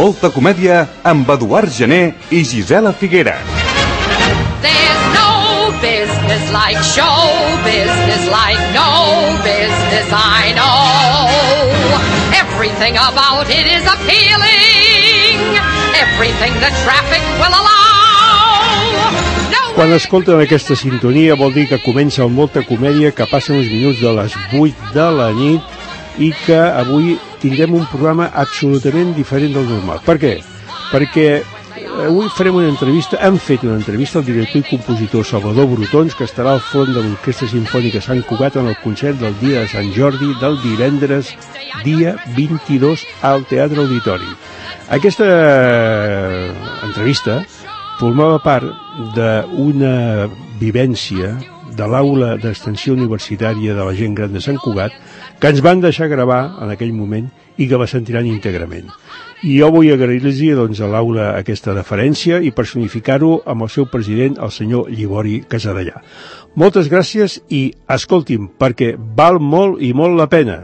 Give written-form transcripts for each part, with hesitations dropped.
Molta comèdia amb Eduard Gené i Gisela Figuera. There's no business like show business, like no business I know. Everything about it is appealing, everything the traffic will allow. Quan escolten aquesta sintonia vol dir que comença el Molta Comèdia, que passen uns minuts de les 8 de la nit i que avui tindrem un programa absolutament diferent del normal. Per què? Perquè avui farem una entrevista, hem fet una entrevista al director i compositor Salvador Brotons, que estarà al front de l'Orquestra Simfònica Sant Cugat en el concert del dia de Sant Jordi del divendres dia 22 al Teatre Auditori. Aquesta entrevista formava part d'una vivència de l'aula d'extensió universitària de la gent gran de Sant Cugat que ens van deixar gravar en aquell moment i que la sentiran íntegrament. I jo vull agrair-los doncs, a l'aula aquesta deferència i personificar-ho amb el seu president, el senyor Llibori Casadellà. Moltes gràcies i escolti'm, perquè val molt i molt la pena.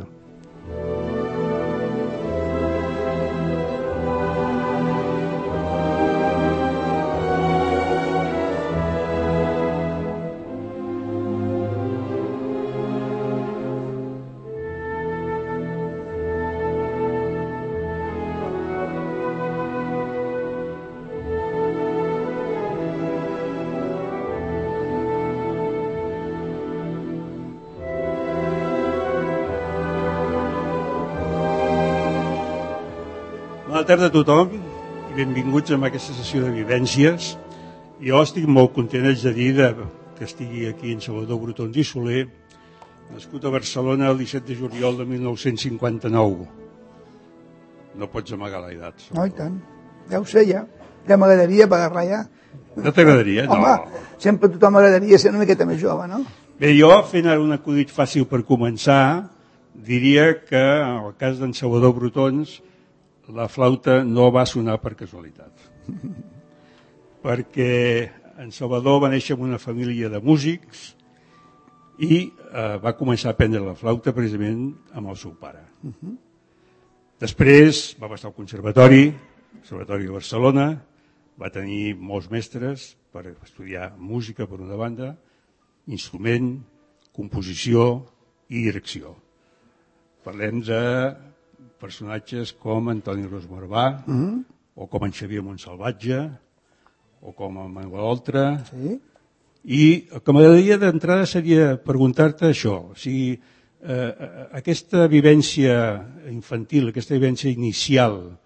Bona tarda a tothom i benvinguts a aquesta sessió de vivències. Jo estic molt content, haig de dir, que estigui aquí en Salvador Brotons i Soler, nascut a Barcelona el 17 de juliol de 1959. No pots amagar l'edat. No, i tant. Ja ho sé, ja. Ja m'agradaria pagar-la ja. No t'agradaria? No. Home, sempre a tothom m'agradaria ser una miqueta més jove, no? Bé, jo, fent ara un acudit fàcil per començar, diria que en el cas d'en Salvador Brotons la flauta no va sonar per casualitat. Perquè en Salvador va néixer en una família de músics i va començar a aprendre la flauta precisament amb el seu pare. Després va passar al Conservatori de Barcelona, va tenir molts mestres per estudiar música per una banda, instrument, composició i direcció. Parlem de personatges com Antoni Ros Barbà, o com en Xavier Montsalvatge, o com en Manuel Oltra. Sí. I el que m'agradaria d'entrada seria preguntar-te això, o sigui, aquesta vivència infantil, aquesta vivència inicial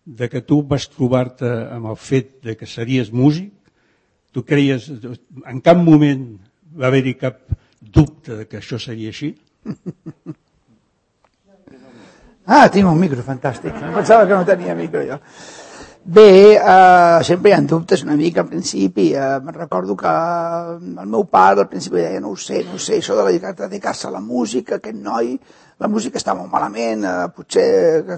de que tu vas trobar-te amb el fet de que series músic, tu creies, en cap moment va haver-hi cap dubte de que això seria així? Ah, tinc un micro, fantàstic. Em pensava que no tenia micro, jo. Bé, sempre hi ha dubtes una mica al principi. Me'n recordo que el meu pare al principi deia no ho sé, això de dedicar-se a la música, aquest noi, la música està molt malament, potser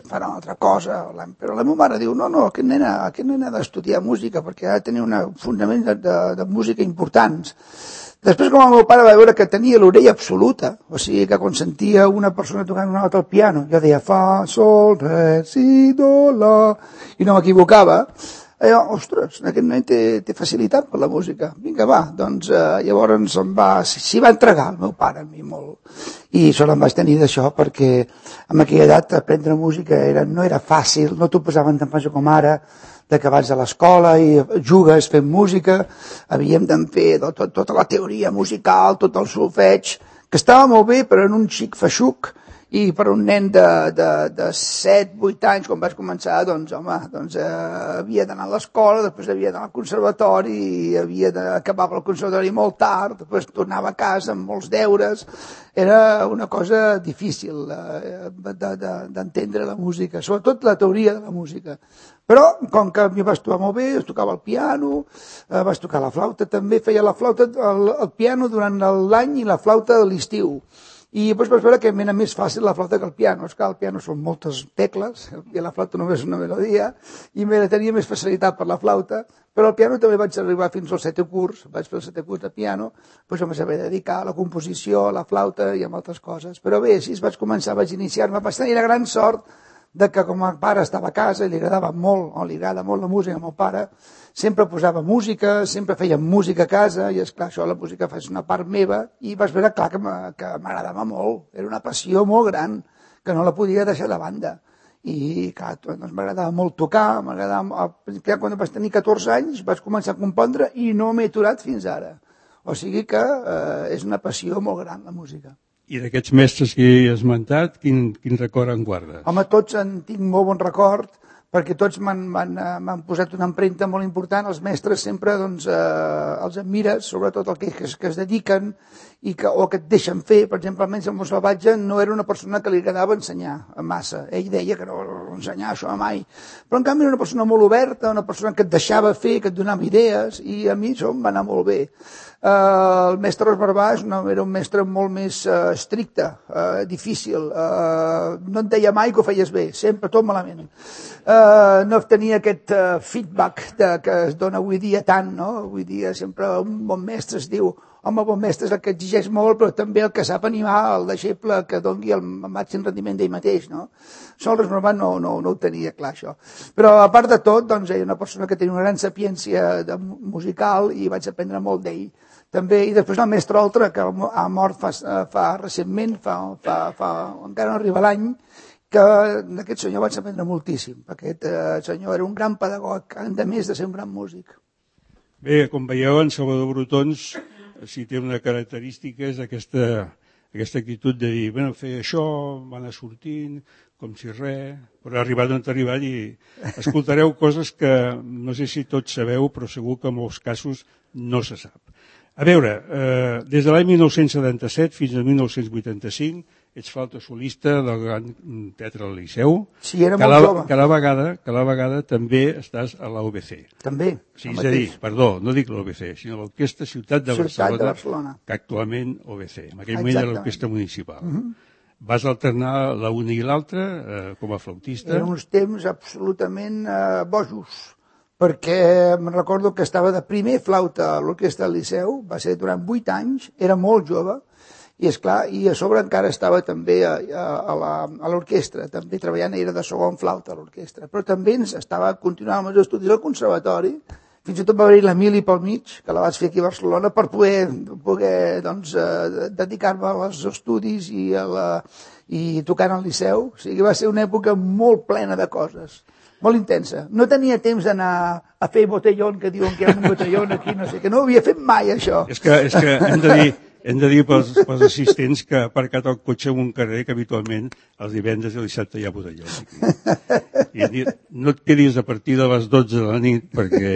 farà una altra cosa. Però la meva mare diu, no, aquest nen ha d'estudiar música perquè ha de tenir un fonament de música importants. Després, com el meu pare va veure que tenia l'orella absoluta, o sigui que quan sentia una persona tocant una nota al piano, jo deia fa, sol, re, si, do, la, i no m'equivocava, ostres, aquest nen té facilitat per la música. Vinga, va, doncs llavors s'hi va entregar el meu pare a mi molt. I sort em vaig tenir d'això perquè en aquella edat aprendre música no era fàcil, no t'ho posaven tan fàcil com ara, de que vas a l'escola i jugues fent música, havíem de fer tota la teoria musical, tot el solfeig, que estava molt bé, però en un xic feixuc, i per un nen de 7-8 anys, quan vaig començar, doncs havia d'anar a l'escola, després havia d'anar al conservatori, i havia d'acabar el conservatori molt tard, després tornava a casa amb molts deures. Era una cosa difícil d'entendre la música, sobretot la teoria de la música. Però, com que m'hi vaig trobar molt bé, es tocava el piano, vaig tocar la flauta, també feia la flauta, el piano durant l'any i la flauta de l'estiu. I després vaig veure que m'era més fàcil la flauta que el piano. És que el piano són moltes tecles, i la flauta només una melodia, i tenia més facilitat per la flauta, però al piano també vaig arribar fins al 7è curs, vaig fer el 7è curs de piano, doncs em vaig haver de dedicar a la composició, a la flauta i a altres coses. Però bé, així vaig començar, vaig iniciar-me, vaig tenir la gran sort de que com a pare estava a casa i li agradava molt, o li agrada molt la música al meu pare, sempre posava música, sempre feia música a casa, i esclar, això la música és una part meva, i vaig veure, clar, que m'agradava molt, era una passió molt gran, que no la podia deixar de banda. I clar, doncs m'agradava molt tocar, quan vaig tenir 14 anys vaig començar a compondre i no m'he aturat fins ara. O sigui que és una passió molt gran, la música. I d'aquests mestres que he esmentat, quin record en guardes? Home, tots en tinc molt bon record, perquè tots m'han posat una empremta molt important. Els mestres sempre doncs, els admires, sobretot els que es dediquen o que et deixen fer. Per exemple, almenys el meu salvatge no era una persona que li agradava ensenyar massa. Ell deia que no ensenyar això mai. Però en canvi era una persona molt oberta, una persona que et deixava fer, que et donava idees, i a mi això em va anar molt bé. El mestre Esbarbà era un mestre molt més estricte, difícil. No et deia mai que ho feies bé, sempre tot malament. No tenia aquest feedback que es dona avui dia tant, no? Avui dia sempre un bon mestre es diu, home, bon mestre és el que exigeix molt, però també el que sap animar el deixeble que doni el màxim rendiment d'ell mateix, no? Això el Esbarbà no ho tenia clar, això. Però a part de tot, doncs, ell era una persona que tenia una gran sapiència musical i vaig aprendre molt d'ell. També, i després el mestre Oltra, que ha mort fa recentment, encara no arriba l'any, que d'aquest senyor vaig aprendre moltíssim. Aquest senyor era un gran pedagog, a més de ser un gran músic. Bé, com veieu, en Salvador Brotons, si té una característica, és aquesta actitud de dir, bueno, fer això, va anar sortint, com si res, però ha arribat on ha arribat i escoltareu coses que no sé si tots sabeu, però segur que en molts casos no se sap. A veure, des de l'any 1977 fins al 1985 ets flauta solista del Gran Teatre del Liceu. Sí, era molt jove. Cada vegada també estàs a l'OBC. També. Sí, és a dir, perdó, no dic l'OBC, sinó l'Orquestra Ciutat de Barcelona, que actualment OBC. En aquell moment era l'Orquestra Municipal. Vas alternar la una i l'altra com a flautista. Eren uns temps absolutament bojos, perquè me'n recordo que estava de primer flauta a l'Orquestra del Liceu, va ser durant 8 anys, era molt jove, i esclar, i a sobre encara estava també a l'orquestra, també treballant, era de segon flauta a l'orquestra, però també estava continuant amb els estudis al conservatori, fins i tot va haver-hi l'Emili pel mig, que la vaig fer aquí a Barcelona, per poder doncs, dedicar-me als estudis i tocant al Liceu. O sigui, va ser una època molt plena de coses, molt intensa. No tenia temps d'anar a fer botellón, que diuen que hi ha un botellón aquí, no sé, que no ho havia fet mai, això. És que hem de dir pels assistents que ha aparcat el cotxe en un carrer que habitualment els divendres i el dissabte hi ha botelló. I no et quedis a partir de les 12 de la nit perquè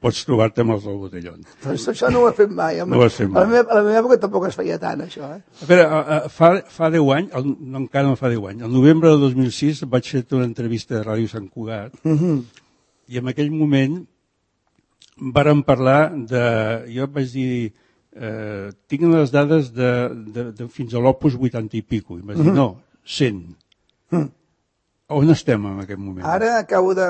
pots trobar-te amb els del botelló. Però això no ho he fet mai. No ho has fet mai. A la meva època tampoc es feia tant, això. A veure, fa 10 anys, no, encara no fa 10 anys, el novembre de 2006 vaig fer una entrevista de Ràdio Sant Cugat i en aquell moment vàrem parlar jo vaig dir, tinc les dades de fins a l'Opus 80 i pico, i em vaig dir, no, 100. On estem en aquest moment? Ara acabo de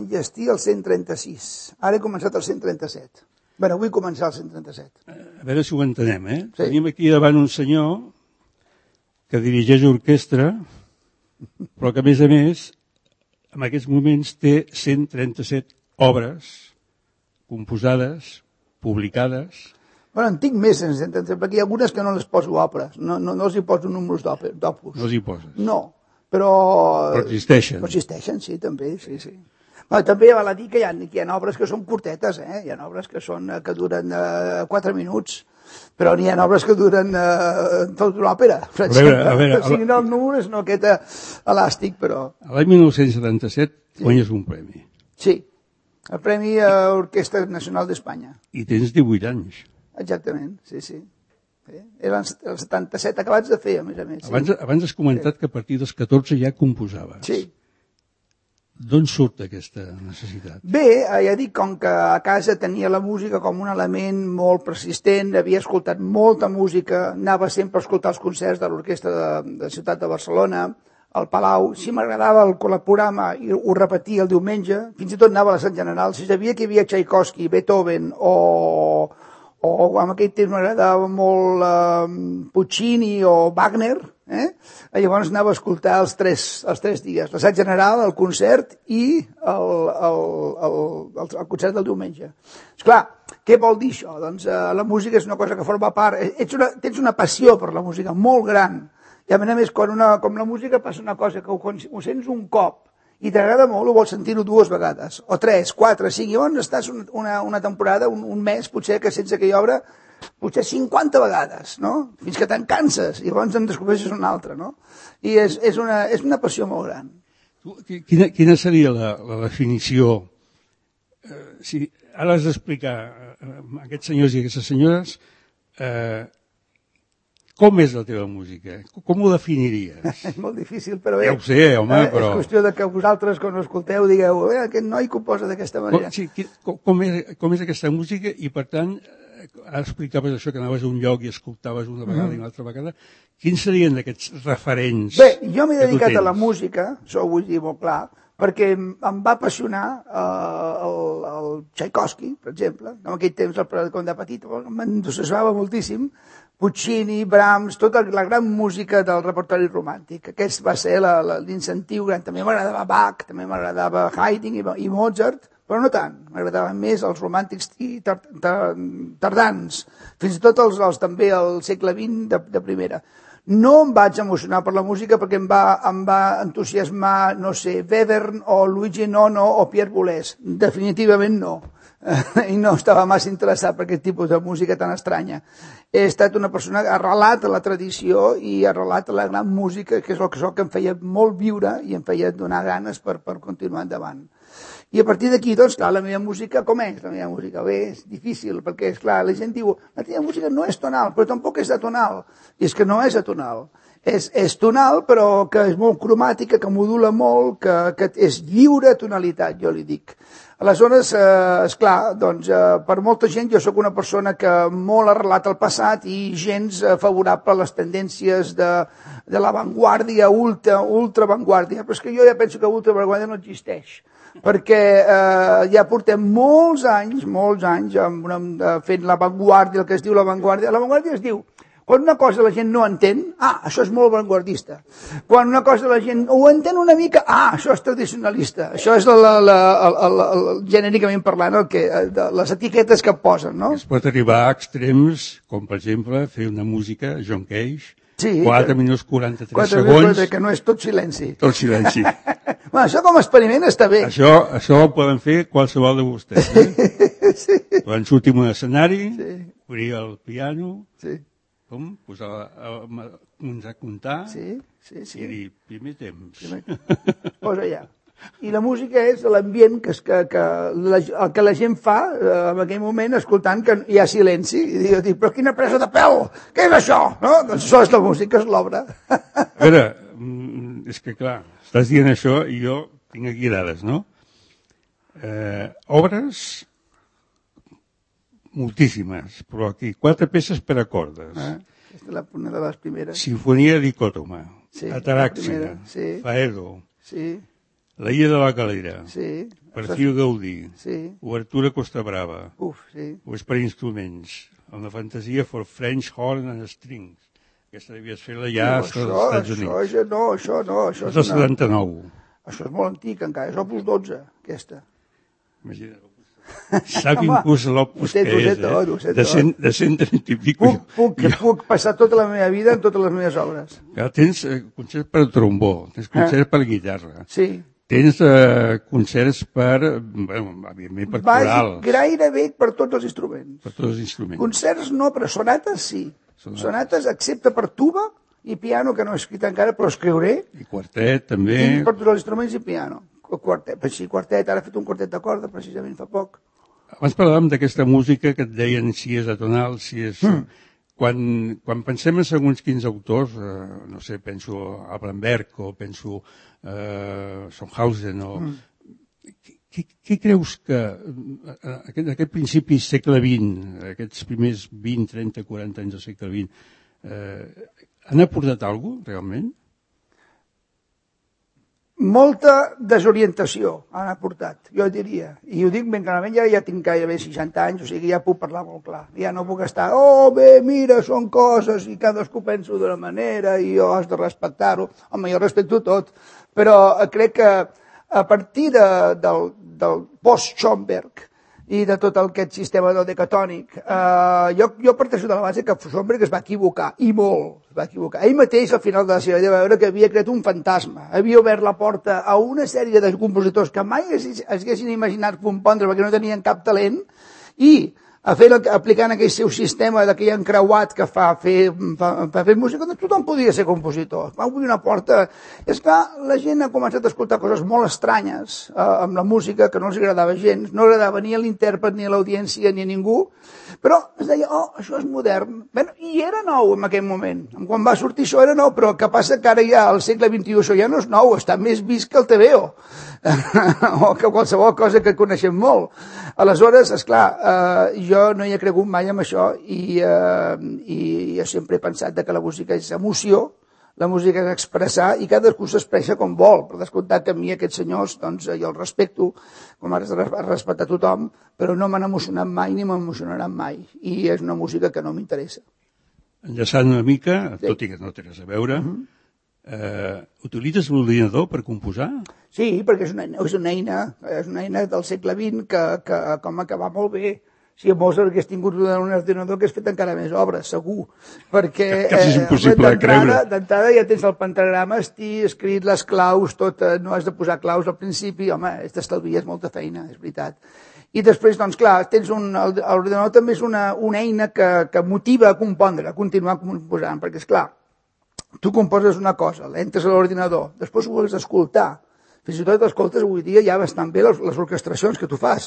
llegir el 136. Ara he començat el 137. Bé, vull començar el 137. A veure si ho entenem, Sí. Tenim aquí davant un senyor que dirigeix orquestra, però que, a més, en aquests moments té 137 obres composades, publicades. Bueno, en tinc més, perquè hi ha algunes que no les poso òperes, no els hi poso números d'opus. No els hi poses? No, però existeixen. Però existeixen, sí, també, sí. Bueno, també val a dir que hi ha obres que són curtetes, Hi ha obres que duren 4 minuts, però n'hi ha obres que duren tota una òpera, per exemple. A veure, o sigui, no, el número és no aquest elàstic, però... L'any 1977 guanyes un premi. Sí, el Premi a Orquestra Nacional d'Espanya. I tens 18 anys. Exactament, sí. Eren els 77 acabats de fer, a més. Sí. Abans has comentat que a partir dels 14 ja composaves. Sí. D'on surt aquesta necessitat? Bé, ja dic, com que a casa tenia la música com un element molt persistent, havia escoltat molta música, anava sempre a escoltar els concerts de l'Orquestra de Ciutat de Barcelona, al Palau, si m'agradava el programa i ho repetia el diumenge, fins i tot anava a la Sant General, si sabia que hi havia Tchaikovsky, Beethoven o en aquell temps m'agradava molt Puccini o Wagner, Llavors anava a escoltar els tres dies, l'assaig general, el concert i el concert del diumenge. Esclar, què vol dir això? Doncs la música és una cosa que forma part, tens una passió per la música molt gran, i a més, com la música passa una cosa que ho sents un cop i t'agrada molt, ho vols sentir-ho 2 vegades, o 3, 4, 5, i llavors estàs una temporada, un mes, potser que sents aquella obra, potser 50 vegades, no? Fins que te'n canses, i llavors en descobreixes una altra, no? I és una passió molt gran. Quina seria la definició? Si ara has d'explicar a aquests senyors i aquestes senyores com és la teva música? Com ho definiries? És molt difícil, però bé. Ja ho sé, home, però... És qüestió de que vosaltres, quan ho escolteu, digueu aquest noi composa d'aquesta manera. Sí, com és aquesta música i, per tant, explicaves això, que anaves a un lloc i escoltaves una vegada i una altra vegada. Quins serien aquests referents? Bé, jo m'he dedicat a la música, això ho vull dir molt clar, perquè em va apassionar el Tchaikovsky, per exemple. En aquell temps, quan de petit, m'entusiasmava moltíssim. Puccini, Brahms, tota la gran música del repertori romàntic. Aquest va ser l'incentiu gran. També m'agradava Bach, també m'agradava Haydn i Mozart, però no tant. M'agradaven més els romàntics tardans, fins i tot també al segle XX de primera. No em vaig emocionar per la música perquè em va entusiasmar, no sé, Webern o Luigi Nono o Pierre Boulez. Definitivament no. I no estava massa interessat per aquest tipus de música tan estranya. He estat una persona arrelat a la tradició i arrelat a la gran música, que és el que em feia molt viure i em feia donar ganes per continuar endavant. I a partir d'aquí, doncs, clar, la meva música, com és la meva música? Bé, és difícil, perquè, esclar, la gent diu, la teva música no és tonal, però tampoc és atonal. I és que no és atonal. És tonal, però que és molt cromàtica, que modula molt, que és lliure tonalitat, jo li dic. Aleshores, esclar, doncs, per molta gent jo sóc una persona que molt arrelat al passat i gens favorable a les tendències de l'avantguàrdia, ultraavantguàrdia, però és que jo ja penso que ultraavantguàrdia no existeix, perquè ja portem molts anys fent l'avantguàrdia, el que es diu l'avantguàrdia. L'avantguàrdia es diu, quan una cosa la gent no entén, això és molt avantguardista. Quan una cosa la gent ho entén una mica, això és tradicionalista. Això és genèricament parlant les etiquetes que posen, no? Es pot arribar a extrems, com per exemple fer una música, John Cage, 4 minuts 43 segons... Que no és tot silenci. Tot silenci. Bueno, això com a experiment està bé. Això ho poden fer qualsevol de vostès. Sí. Quan sortim a un escenari, obrir el piano, posar a comptar i dir, primer temps. Posa ja. I la música és l'ambient el que la gent fa en aquell moment escoltant que hi ha silenci. I dic, però quina presa de pèl! Què és això? No? Doncs això és la música, és l'obra. A veure, és que clar, estàs dient això i jo tinc aquí dades, no? Obres moltíssimes, però aquí 4 peces per a cordes. Aquesta és una de les primeres. Sinfonia dicòtoma, Ataràxia, Faedo, La Illa de la Calera, Perfil Gaudí, Obertura Costa Brava, és per instruments, una fantasia for French horn and strings. Aquesta devies fer-la ja als Estats Units. Això no. És del 79. Això és molt antic encara, és Opus 12, aquesta. Imagina't. Sap inclús l'Opus que és, de 130 i pico. Puc passar tota la meva vida en totes les meves obres. Tens concerts per trombó, tens concerts per guitarra. Sí. Tens concerts per, evidentment, per corals. Gairebé per tots els instruments. Per tots els instruments. Concerts no, però sonates sí. Sonates excepte per tuba i piano, que no he escrit encara, però escriuré. I quartet, també. I per tots els instruments i piano. Quartet, ara he fet un quartet de corda, precisament fa poc. Abans parlàvem d'aquesta música que et deien si és atonal, si és... Quan pensem en segons quins autors, no sé, penso a Bramberg o penso a Sonhausen o... Què creus que aquest principi segle XX, aquests primers 20, 30, 40 anys del segle XX, han aportat alguna cosa, realment? molta desorientació han aportat, jo diria. I ho dic ben clarament, ja tinc gairebé 60 anys, o sigui, ja puc parlar molt clar. Ja no puc estar, bé, mira, són coses, i cadascú pensa d'una manera, i jo has de respectar-ho. Home, jo respecto tot, però crec que a partir del post-Schomburg i de tot aquest sistema del decatònic, jo parteixo de la base que Schomburg es va equivocar, i molt es va equivocar. Ell mateix, al final de la seva vida, va veure que havia creat un fantasma, havia obert la porta a una sèrie de compositors que mai es haguessin imaginat compondre perquè no tenien cap talent, i aplicant aquell seu sistema d'aquell encreuat que fa fer música, doncs tothom podia ser compositor. Va obrir una porta. És que la gent ha començat a escoltar coses molt estranyes amb la música, que no els agradava gens, no agradava ni a l'intèrpret, ni a l'audiència, ni a ningú, però es deia, això és modern. Bé, i era nou en aquell moment. Quan va sortir això era nou, però el que passa que ara ja al segle XXI això ja no és nou, està més vist que el TVO o que qualsevol cosa que coneixem molt. Aleshores, esclar, jo no hi he cregut mai amb això i jo sempre he pensat que la música és emoció, la música és expressar i cadascú s'expressa com vol. Per descomptat que a mi aquests senyors, doncs jo els respecto, com has de respectar tothom, però no m'han emocionat mai ni m'emocionaran mai. I és una música que no m'interessa. Enllaçant una mica, tot i que no té res a veure, utilitzes l'ordinador per composar? Sí, perquè és una eina del segle XX que va molt bé. Si Mozart hagués tingut un ordinador que hagués fet encara més obres, segur. Perquè quasi és impossible de creure. D'entrada ja tens el pentagrama escrit, les claus, tot, no has de posar claus al principi, home, t'estalvies molta feina, és veritat. I després, doncs clar, l'ordinador també és una eina que motiva a compondre, a continuar composant, perquè, esclar, tu composes una cosa, entres a l'ordinador, després ho vols escoltar. Fins i tot escoltes avui dia ja bastant bé les orquestracions que tu fas.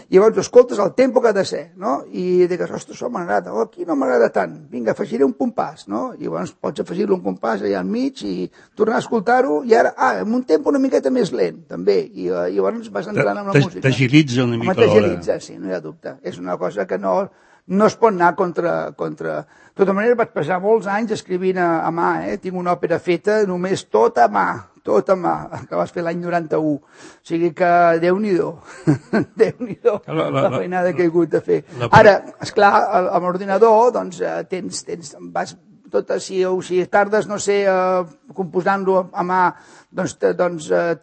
I llavors escoltes el tempo que ha de ser, no? I digues, ostres, això m'agrada, aquí no m'agrada tant, vinga, afegiré un compàs, no? I llavors pots afegir-li un compàs allà al mig i tornar a escoltar-ho, i ara, amb un tempo una miqueta més lent, també, i llavors vas entrant amb la música. T'agilitza una mica l'hora. T'agilitza, sí, no hi ha dubte. És una cosa que no es pot anar contra... De tota manera, vaig passar molts anys escrivint a mà, tinc una òpera feta només tot a mà, que vas fer l'any 91. O sigui que Déu-n'hi-do, la feinada que he hagut de fer. Ara, esclar, amb l'ordinador, doncs, vas si tardes, no sé, composant-lo a mà, doncs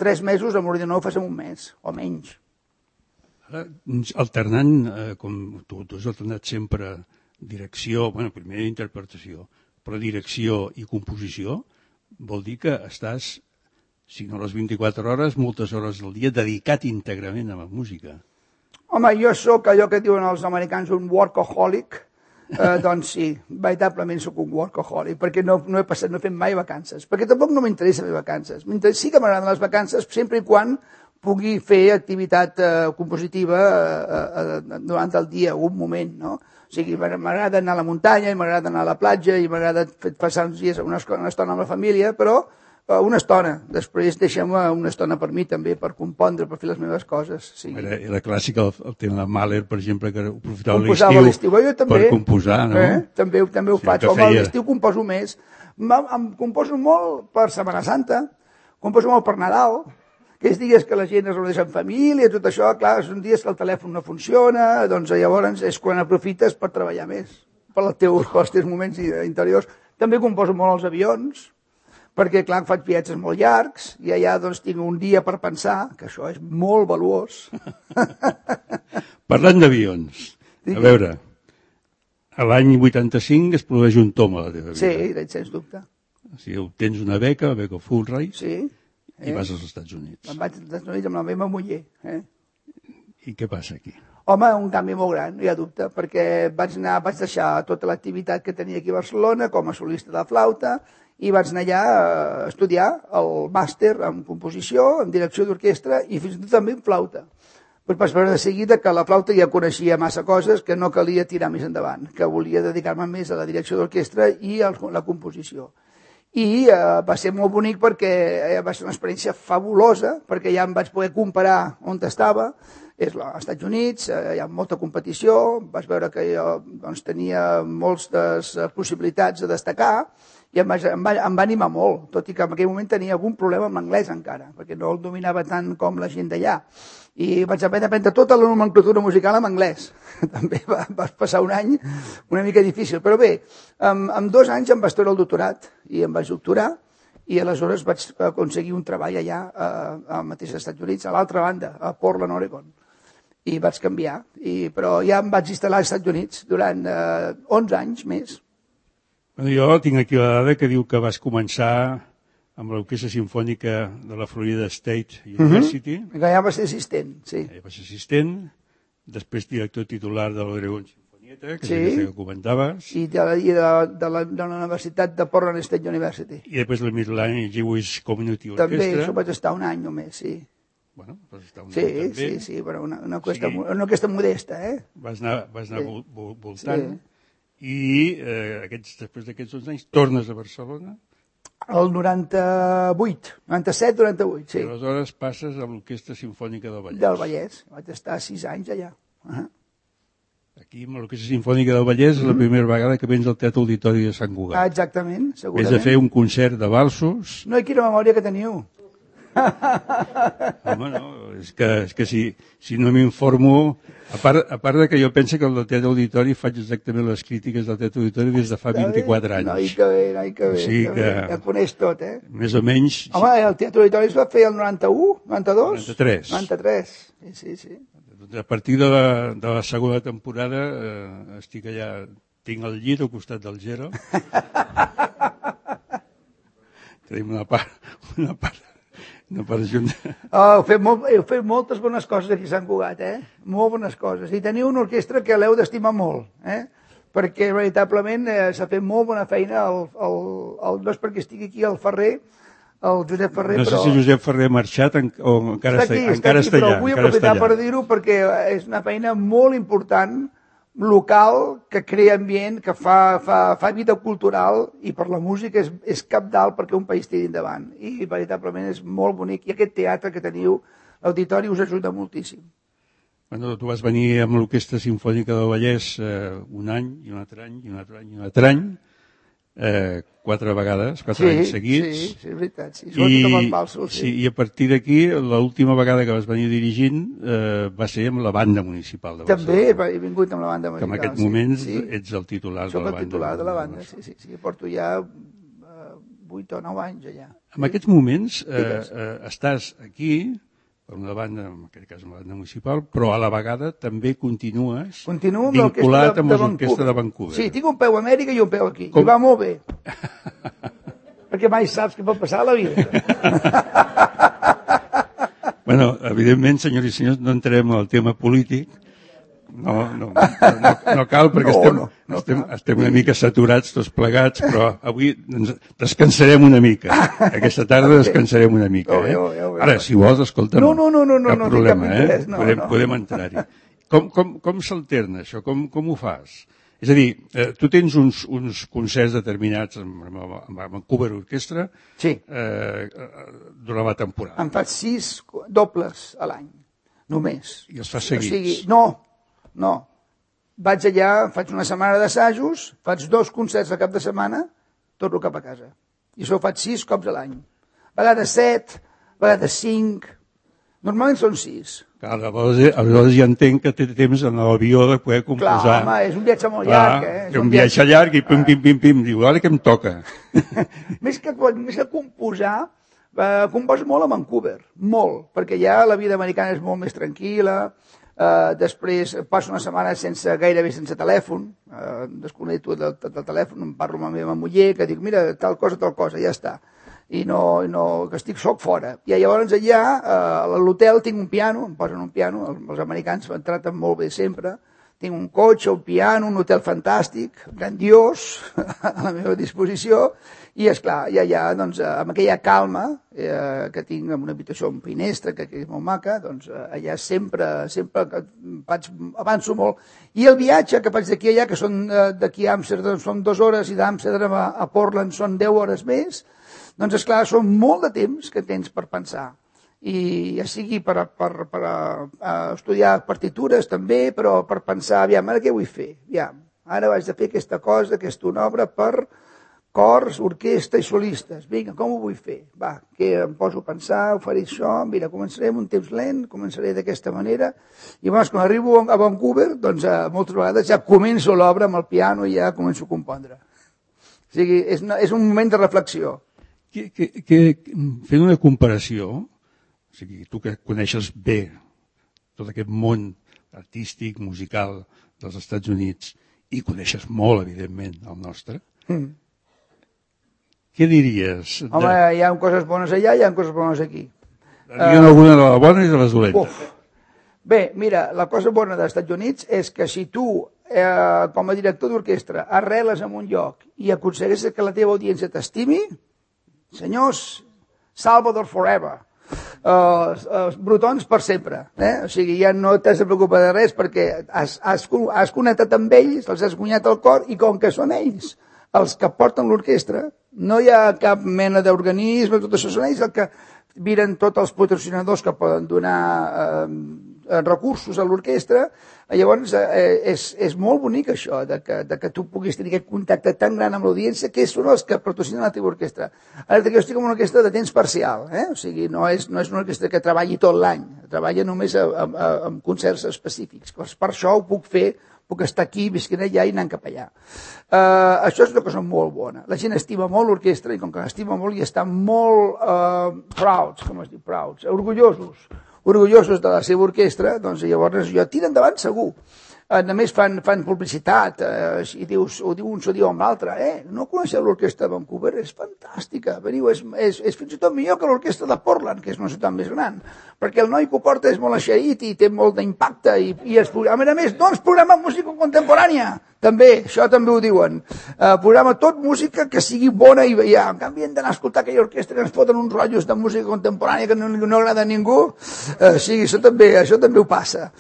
3 mesos, amb l'ordinador ho fas en un mes, o menys. Ara, alternant, com tu has alternat sempre direcció, primer interpretació, però direcció i composició, vol dir que estàs, si no les 24 hores, moltes hores del dia dedicat íntegrament a la música. Home, jo sóc allò que diuen els americans un workaholic, doncs sí, veritablement sóc un workaholic, perquè no he fet mai vacances, perquè tampoc no m'interessa fer vacances. Sí que m'agraden les vacances, sempre i quan pugui fer activitat compositiva durant el dia, un moment, no? O sigui, m'agrada anar a la muntanya, i m'agrada anar a la platja, i m'agrada passar uns dies, una estona amb la família, però una estona. Després deixem una estona per mi també, per compondre, per fer les meves coses. Sí. Era clàssic el tema de Mahler, per exemple, que aprofitava l'estiu per composar, no? També ho faig. Home, a l'estiu composo més. Em composo molt per Setmana Santa, composo molt per Nadal, aquells dies que la gent es reuneix en família, tot això, clar, són dies que el telèfon no funciona, doncs llavors és quan aprofites per treballar més, pels teus moments interiors. També composo molt als avions, perquè, clar, faig viatges molt llargs, i allà doncs tinc un dia per pensar, que això és molt valuós. Parlant d'avions, a veure, a l'any 85 es produeix un tom a la teva vida. Sí, sens dubte. O sigui, tens una beca Fulbright, sí. I vas als Estats Units. Em vaig als Estats Units amb la meva muller. I què passa aquí? Home, un canvi molt gran, no hi ha dubte, perquè vaig deixar tota l'activitat que tenia aquí a Barcelona com a solista de flauta i vaig anar allà a estudiar el màster en composició, en direcció d'orquestra i fins i tot també en flauta. Però vaig veure de seguida que la flauta ja coneixia massa coses que no calia tirar més endavant, que volia dedicar-me més a la direcció d'orquestra i a la composició. I va ser molt bonic perquè va ser una experiència fabulosa, perquè ja em vaig poder comparar on estava, és als Estats Units, hi ha molta competició, vaig veure que jo tenia moltes possibilitats de destacar, i em va animar molt, tot i que en aquell moment tenia algun problema amb l'anglès encara, perquè no el dominava tant com la gent d'allà. I vaig aprendre tota la nomenclatura musical en anglès. També va passar un any una mica difícil. Però bé, en 2 anys em vaig treure el doctorat i em vaig doctorar i aleshores vaig aconseguir un treball allà al mateix Estats Units, a l'altra banda, a Portland, Oregon. I vaig canviar, però ja em vaig instal·lar als Estats Units durant 11 anys més. Jo tinc aquí la dada que diu que vas començar amb l'Orquestra Simfònica de la Florida State University. Que ja va ser assistent, sí. Ja va ser assistent, després director titular de l'Oregon Sinfonieta, que sí, que comentaves. I de la Universitat de Portland State University. I després la Midland Jewish Community Orchestra. També, això vaig estar un any només, sí. Bueno, vas estar un sí, any també. Sí, però una orquestra modesta, Vas anar voltant. I després d'aquests 11 anys tornes a Barcelona? El 97, 98, sí. I aleshores passes a l'Orquestra Simfònica del Vallès. Del Vallès, vaig estar 6 anys allà. Aquí, amb l'Orquestra Simfònica del Vallès, és la primera vegada que vens al Teatre Auditori de Sant Cugat. Exactament, segurament. Vés a fer un concert de valsos. No, quina memòria que teniu. Home, no, és que si no m'informo, a part de que jo penso que el Teatre Auditori faig exactament les crítiques del Teatre Auditori des de fa 24 anys. Noi, que bé, o sigui que ja coneix tot, Més o menys... Home, el Teatre Auditori es va fer el 91, 92? 93. 93, sí. A partir de la segona temporada estic allà, tinc el llit al costat del Gero. Tenim una part junta. Heu fet moltes bones coses aquí a Sant Cugat, molt bones coses. I teniu una orquestra que l'heu d'estimar molt, perquè veritablement s'ha fet molt bona feina. No és perquè estigui aquí el Ferrer, el Josep Ferrer, però... No sé si Josep Ferrer ha marxat o encara està allà. Però vull aprofitar per dir-ho perquè és una feina molt important, local, que crea ambient, que fa vida cultural, i per la música és cabdal perquè un país tiri endavant. I veritablement és molt bonic. I aquest teatre que teniu, l'auditori, us ajuda moltíssim. Bueno, tu vas venir amb l'Orquestra Simfònica del Vallès un any, i un altre any, i un altre any, i un altre any, 4 vegades, 4 anys seguits. Sí, és veritat, sí. Sobretot amb els valsos, sí. I a partir d'aquí, l'última vegada que vas venir dirigint va ser amb la banda municipal de Barcelona. També he vingut amb la banda municipal. Que en aquest moment ets el titular de la banda. Soc el titular de la banda, sí. Porto ja 8 o 9 anys allà. En aquests moments estàs aquí, per una banda, en aquest cas una banda municipal, però a la vegada també continues vinculat amb l'Orquestra de Vancouver. Sí, tinc un peu a Amèrica i un peu aquí. I va molt bé. Perquè mai saps què pot passar a la vida. Bueno, evidentment, senyors i senyors, no entrarem al tema polític. No cal, perquè estem una mica saturats tots plegats, però avui descansarem una mica. Aquesta tarda descansarem una mica. Ara, si vols, escolta'm, cap problema, podem entrar-hi. Com s'alterna això? Com ho fas? És a dir, tu tens uns concerts determinats amb Vancouver Orquestra durant la temporada. Em faig 6 dobles a l'any, només. I els fas seguits? No. Vaig allà, faig una setmana d'assajos, faig 2 concerts al cap de setmana, torno cap a casa. I això ho faig 6 cops a l'any. A vegades 7, a vegades 5, normalment són 6. Clar, aleshores ja entenc que té temps en l'avió de poder composar. Clar, home, és un viatge molt llarg. És un viatge llarg i pim, diu, ara què em toca? Més que composar, composo molt a Vancouver, molt, perquè ja la vida americana és molt més tranquil·la. Després passo una setmana gairebé sense telèfon, desconnecto del telèfon, em parlo amb la meva muller, que dic, mira, tal cosa, ja està. I que soc fora. I llavors allà, a l'hotel, tinc un piano, em posen un piano, els americans em traten molt bé sempre, tinc un cotxe, un piano, un hotel fantàstic, grandiós, a la meva disposició, i esclar, ja doncs, amb aquella calma que tinc, amb una habitació amb finestra, que és molt maca, doncs allà sempre avanço molt. I el viatge que faig d'aquí a allà, que són d'aquí a Amsterdam són 2 hores i d'Amsterdam a Portland són 10 hores més, doncs esclar, són molt de temps que tens per pensar. I ja sigui per estudiar partitures també, però per pensar, aviam, ara què vull fer? Aviam, ara vaig de fer aquesta cosa, aquesta obra per cors, orquestra i solistes. Vinga, com ho vull fer? Va, que em poso a pensar, ho faré això, mira, començaré amb un temps lent, començaré d'aquesta manera, i llavors quan arribo a Vancouver, doncs moltes vegades ja començo l'obra amb el piano i ja començo a compondre. O sigui, és un moment de reflexió. Fent una comparació, o sigui, tu que coneixes bé tot aquest món artístic, musical dels Estats Units, i coneixes molt, evidentment, el nostre, què diries? Home, hi ha coses bones allà, hi ha coses bones aquí. Hi ha alguna de les bones i de les dolentes. Bé, mira, la cosa bona dels Estats Units és que si tu, com a director d'orquestra, arreles en un lloc i aconsegueixes que la teva audiència t'estimi, senyors, Salvador forever. Els brutons per sempre. O sigui, ja no t'has de preocupar de res perquè has connectat amb ells, els has guanyat el cor, i com que són ells els que porten l'orquestra, no hi ha cap mena d'organisme, tot això són ells el que miren tots els patrocinadors que poden donar recursos a l'orquestra. Llavors és molt bonic això, de que tu puguis tenir aquest contacte tan gran amb l'audiència, que són els que patrocinen la teva orquestra. Ara jo estic en una orquestra de temps parcial, o sigui, no és una orquestra que treballi tot l'any, treballa només amb concerts específics. Per això ho puc fer, puc estar aquí, visquent allà i anant cap allà. Això és una cosa molt bona. La gent estima molt l'orquestra i com que l'estima molt i estan molt prouds, com es diu, prouds, orgullosos de la seva orquestra, doncs llavors jo tira endavant segur. A més fan publicitat, i dius, ho diu un, s'ho diu amb l'altre, no coneixeu l'orquestra de Vancouver? És fantàstica, veniu, és fins i tot millor que l'orquestra de Portland, que és una ciutat més gran, perquè el noi que ho porta és molt eixerit i té molt d'impacte, i a més, doncs programa música contemporània, també, això també ho diuen, programa tot música que sigui bona i ja, en canvi hem d'anar a escoltar aquella orquestra que ens foten uns rotllos de música contemporània que no agrada a ningú, sí, això també ho passa.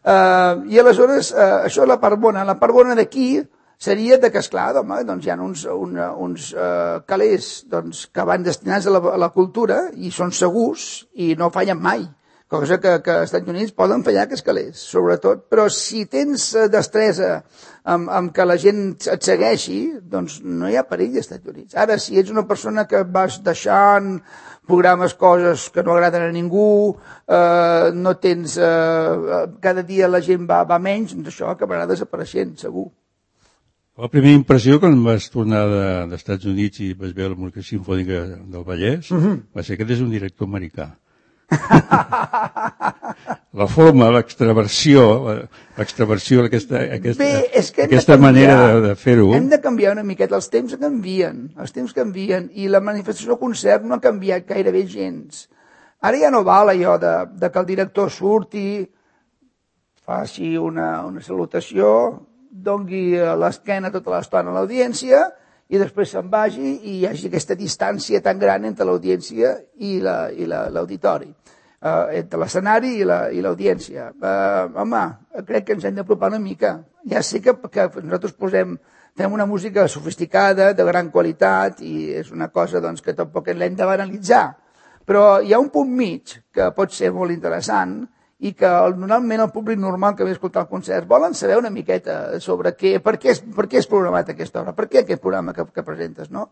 I aleshores, això és la part bona. La part bona d'aquí seria que, esclar, doncs hi ha uns calés que van destinats a la cultura i són segurs i no fallen mai. Cosa que als Estats Units poden fallar aquests calés, sobretot. Però si tens destresa amb que la gent et segueixi, doncs no hi ha perill als Estats Units. Ara, si ets una persona que vas deixant, programes coses que no agraden a ningú, no tens... cada dia la gent va menys, doncs això acabarà desapareixent, segur. La primera impressió quan vas tornar dels Estats Units i vas veure la música simfònica del Vallès va ser que és un director americà. La forma, l'extraversió, aquesta manera de fer-ho. Hem de canviar una miqueta, els temps canvien i la manifestació del concert no ha canviat gairebé gens. Ara ja no val allò de que el director surti, faci una salutació, doni l'esquena tota l'estona a l'audiència i després se'n vagi i hi hagi aquesta distància tan gran entre l'audiència i l'auditori, entre l'escenari i l'audiència. Home, crec que ens hem d'apropar una mica. Ja sé que nosaltres fem una música sofisticada, de gran qualitat, i és una cosa doncs, que tampoc l'hem de banalitzar. Però hi ha un punt mig que pot ser molt interessant i que normalment el públic normal que ve a escoltar el concert volen saber una miqueta sobre per què és programat aquesta obra, per què aquest programa que presentes, no?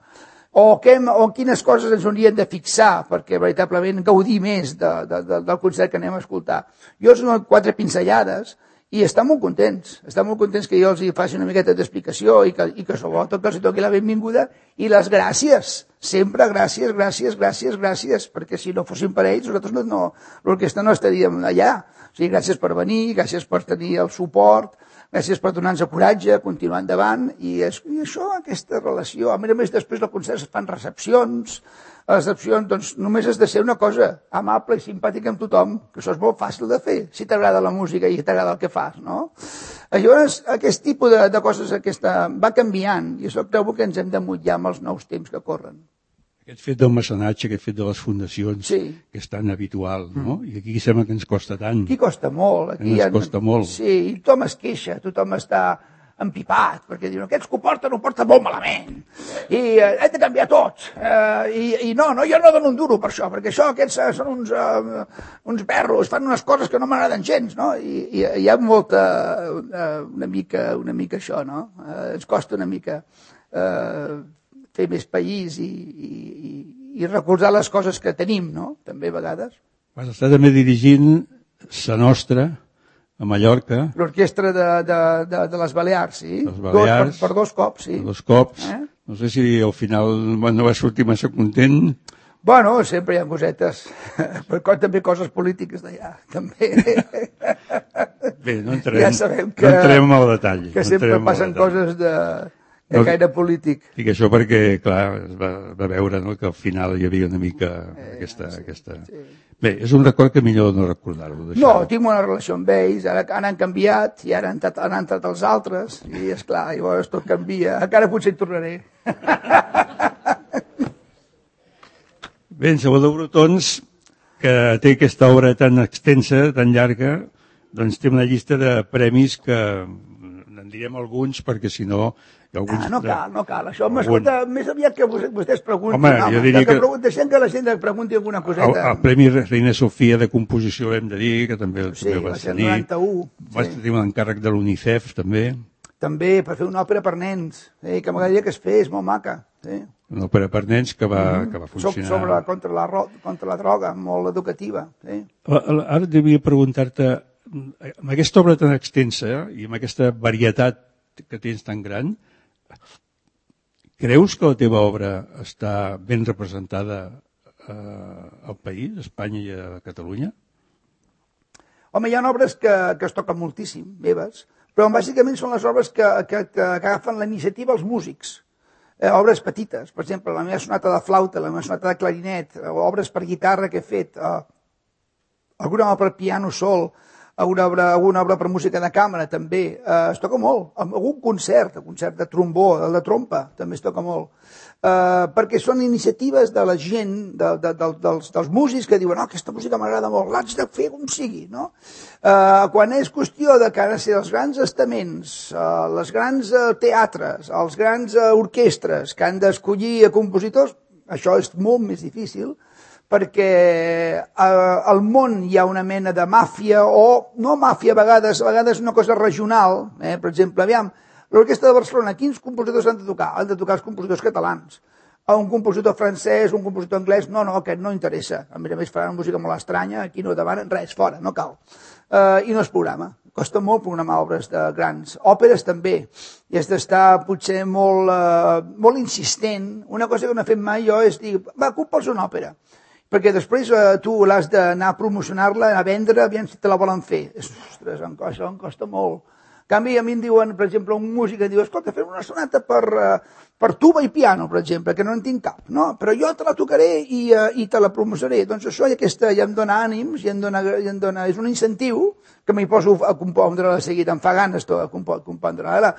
O quines coses ens haurien de fixar perquè veritablement gaudir més del concert que anem a escoltar. Jo us dono 4 pinzellades i estan molt contents que jo els faci una miqueta d'explicació i que sobretot que els toqui la benvinguda i les gràcies, sempre gràcies, perquè si no fossin per ells nosaltres l'orquestra no estaríem allà. O sigui, gràcies per venir, gràcies per tenir el suport, gràcies per donar-nos coratge, continuar endavant, i això, aquesta relació. A més, després del concert es fan recepcions, a les recepcions doncs, només has de ser una cosa amable i simpàtica amb tothom, que això és molt fàcil de fer, si t'agrada la música i t'agrada el que fas, no? Llavors, aquest tipus de coses va canviant, i això creu que ens hem de mullar amb els nous temps que corren. Aquest fet del mecenatge, aquest fet de les fundacions, que és tan habitual, no? I aquí sembla que ens costa tant. Aquí costa molt. Ens costa molt. Sí, i tothom es queixa, tothom està empipat, perquè diuen, aquests que ho porten molt malament, i hem de canviar tots, i no, jo no dono un duro per això, perquè aquests són uns berros, fan unes coses que no m'agraden gens, no? I hi ha una mica això, no? Ens costa una mica fer més país i recolzar les coses que tenim, no? També a vegades. Vas estar també dirigint Sa Nostra, a Mallorca. L'orquestra de les Balears, sí. Les Balears. Per 2 cops, sí. Per 2 cops. No sé si al final no va sortir massa content. Bueno, sempre hi ha cosetes, però també coses polítiques d'allà, també. Bé, no entrem al detall. Que sempre passen coses de caire polític. I que això perquè, clar, es va veure, no?, que al final hi havia una mica aquesta... Sí. Bé, és un record que millor no recordar-ho. No, tinc una relació amb ells, ara han canviat i ara han entrat els altres, i esclar, llavors tot canvia. Encara potser hi tornaré. Bé, en Salvador Brotons, que té aquesta obra tan extensa, tan llarga, doncs té una llista de premis que en direm alguns perquè si no... No cal. Això m'escolta, més aviat que vostès preguntin. Home, jo diria que... Deixem que la gent pregunti alguna coseta. El Premi Reina Sofia de Composició hem de dir, que també el vas tenir. Sí, va ser 91. Vas tenir un encàrrec de l'UNICEF, també. També, per fer una òpera per nens, que m'agradaria que es fes, molt maca. Una òpera per nens que va funcionar. Contra la droga, molt educativa. Ara devia preguntar-te, amb aquesta obra tan extensa i amb aquesta varietat que tens tan gran, creus que la teva obra està ben representada al país, a Espanya i a Catalunya? Home, hi ha obres que es toquen moltíssim, meves, però bàsicament són les obres que agafen la iniciativa els músics. Obres petites, per exemple, la meva sonata de flauta, la meva sonata de clarinet, obres per guitarra que he fet, alguna obra per piano sol, alguna obra per música de càmera, també. Es toca molt. Algun concert de trombó, de trompa, també es toca molt. Perquè són iniciatives de la gent, dels músics que diuen aquesta música m'agrada molt, l'haig de fer com sigui, no? Quan és qüestió de que han de ser els grans estaments, els grans teatres, els grans orquestres que han d'escollir compositors, això és molt més difícil, perquè al món hi ha una mena de màfia, o no màfia a vegades una cosa regional. Per exemple, aviam, l'Orquestra de Barcelona, quins compositors han de tocar? Han de tocar els compositors catalans. Un compositor francès, un compositor anglès, no, aquest no interessa. A més faran música molt estranya, aquí no demanen res, fora, no cal. I no es programa. Costa molt programar obres de grans. Òperes també. I has d'estar potser molt insistent. Una cosa que no he fet mai jo és dir, va, compa'ls una òpera. Perquè després tu l'has d'anar a promocionar-la, a vendre, aviam si te la volen fer. Ostres, això em costa molt. En canvi, a mi em diuen, per exemple, un músic em diu, escolta, fem una sonata per tuba i piano, per exemple, que no en tinc cap, no? Però jo te la tocaré i te la promocionaré. Doncs això ja em dona ànims, és un incentiu que m'hi poso a compondre de seguida. Em fa ganes compondre. Ara,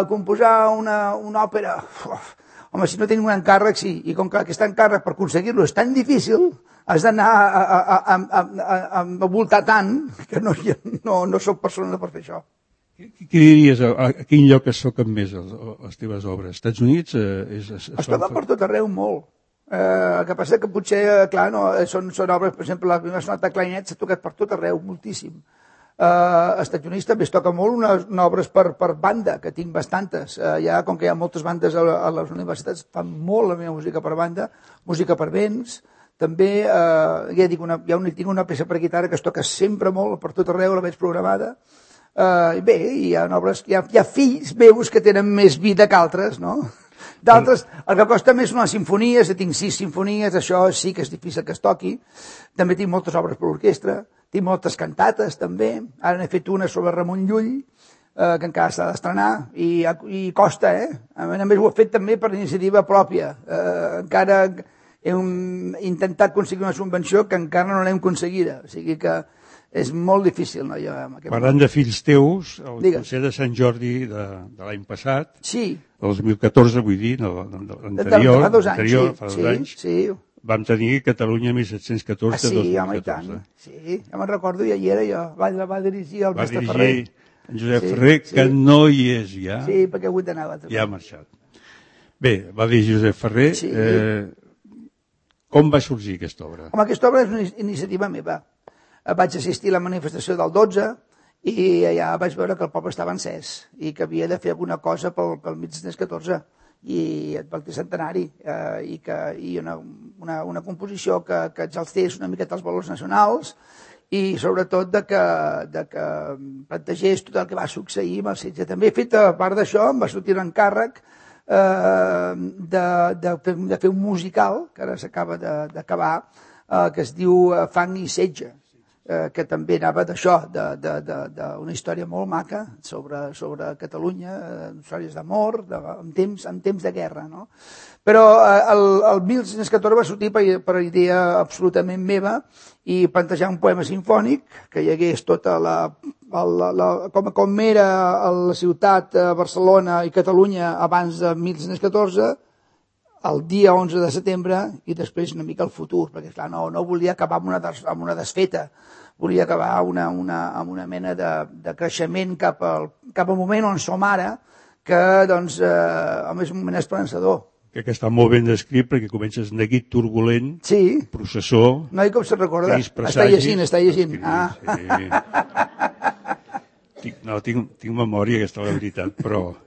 composar una òpera... Home, si no tenim un encàrrec, sí. I com que aquest encàrrec, per aconseguir-lo, és tan difícil, has d'anar a voltar tant que no soc persona per fer això. Què diries? A quin lloc es toquen més les teves obres? Estats Units? Es toquen per tot arreu molt. El que passa que potser, clar, són obres, per exemple, la meva sonata de clarinet s'ha tocat per tot arreu, moltíssim. Als Estats Units també es toca molt unes obres per banda, que tinc bastantes. Com que hi ha moltes bandes a les universitats, fan molt la meva música per banda, música per vents. També, ja dic, tinc una peça per guitarra que es toca sempre molt, per tot arreu, la veig programada. Bé, hi ha obres, hi ha fills meus que tenen més vida que altres, no? D'altres, el que costa més són les sinfonies, tinc 6 sinfonies, això sí que és difícil que es toqui. També tinc moltes obres per orquestra, tinc moltes cantates també, ara n'he fet una sobre Ramon Llull, que encara s'ha d'estrenar, i costa, A més ho he fet també per iniciativa pròpia, encara he intentat aconseguir una subvenció que encara no l'hem aconseguida, o sigui que és molt difícil. No? Parlant de fills teus, el concert de Sant Jordi de l'any passat, sí. El 2014, vull dir, l'anterior, fa 2 anys, sí. Vam tenir Catalunya 1714 sí, 2014. Home, i tant. Sí, ja me'n recordo, ja hi era jo. Va dirigir el mestre Ferrer. Va dirigir en Josep Ferrer, que no hi és ja. Sí, perquè ha hagut d'anar a ja ha marxat. Bé, va dirigir Josep Ferrer. Sí. Com va sorgir aquesta obra? Home, aquesta obra és una iniciativa meva. Vaig assistir a la manifestació del 12 i allà vaig veure que el poble estava encès i que havia de fer alguna cosa pel 1714. i el centenari, i una composició que exaltés una miqueta els valors nacionals i sobretot de que plantegés tot el que va succeir amb el setge. També he fet, a part d'això, em va sortir l'encàrrec de fer un musical, que ara s'acaba d'acabar, que es diu Fang i setge, que també anava d'això, d'una història molt maca sobre Catalunya, històries d'amor, en temps de guerra, no? Però el 1914 va sortir per idea absolutament meva i plantejar un poema sinfònic que hi hagués tota com era la ciutat, Barcelona i Catalunya abans de 1914, el dia 11 de setembre i després una mica el futur, perquè clar, no volia acabar amb una desfeta, volia acabar amb una mena de creixement cap al moment on som ara, que doncs, és un moment esperançador. Que està molt ben descrit perquè comences neguit turbulent, sí. Processó... No, i com se'n recorda? Està llegint. Sí. No, tinc memòria, aquesta és la veritat, però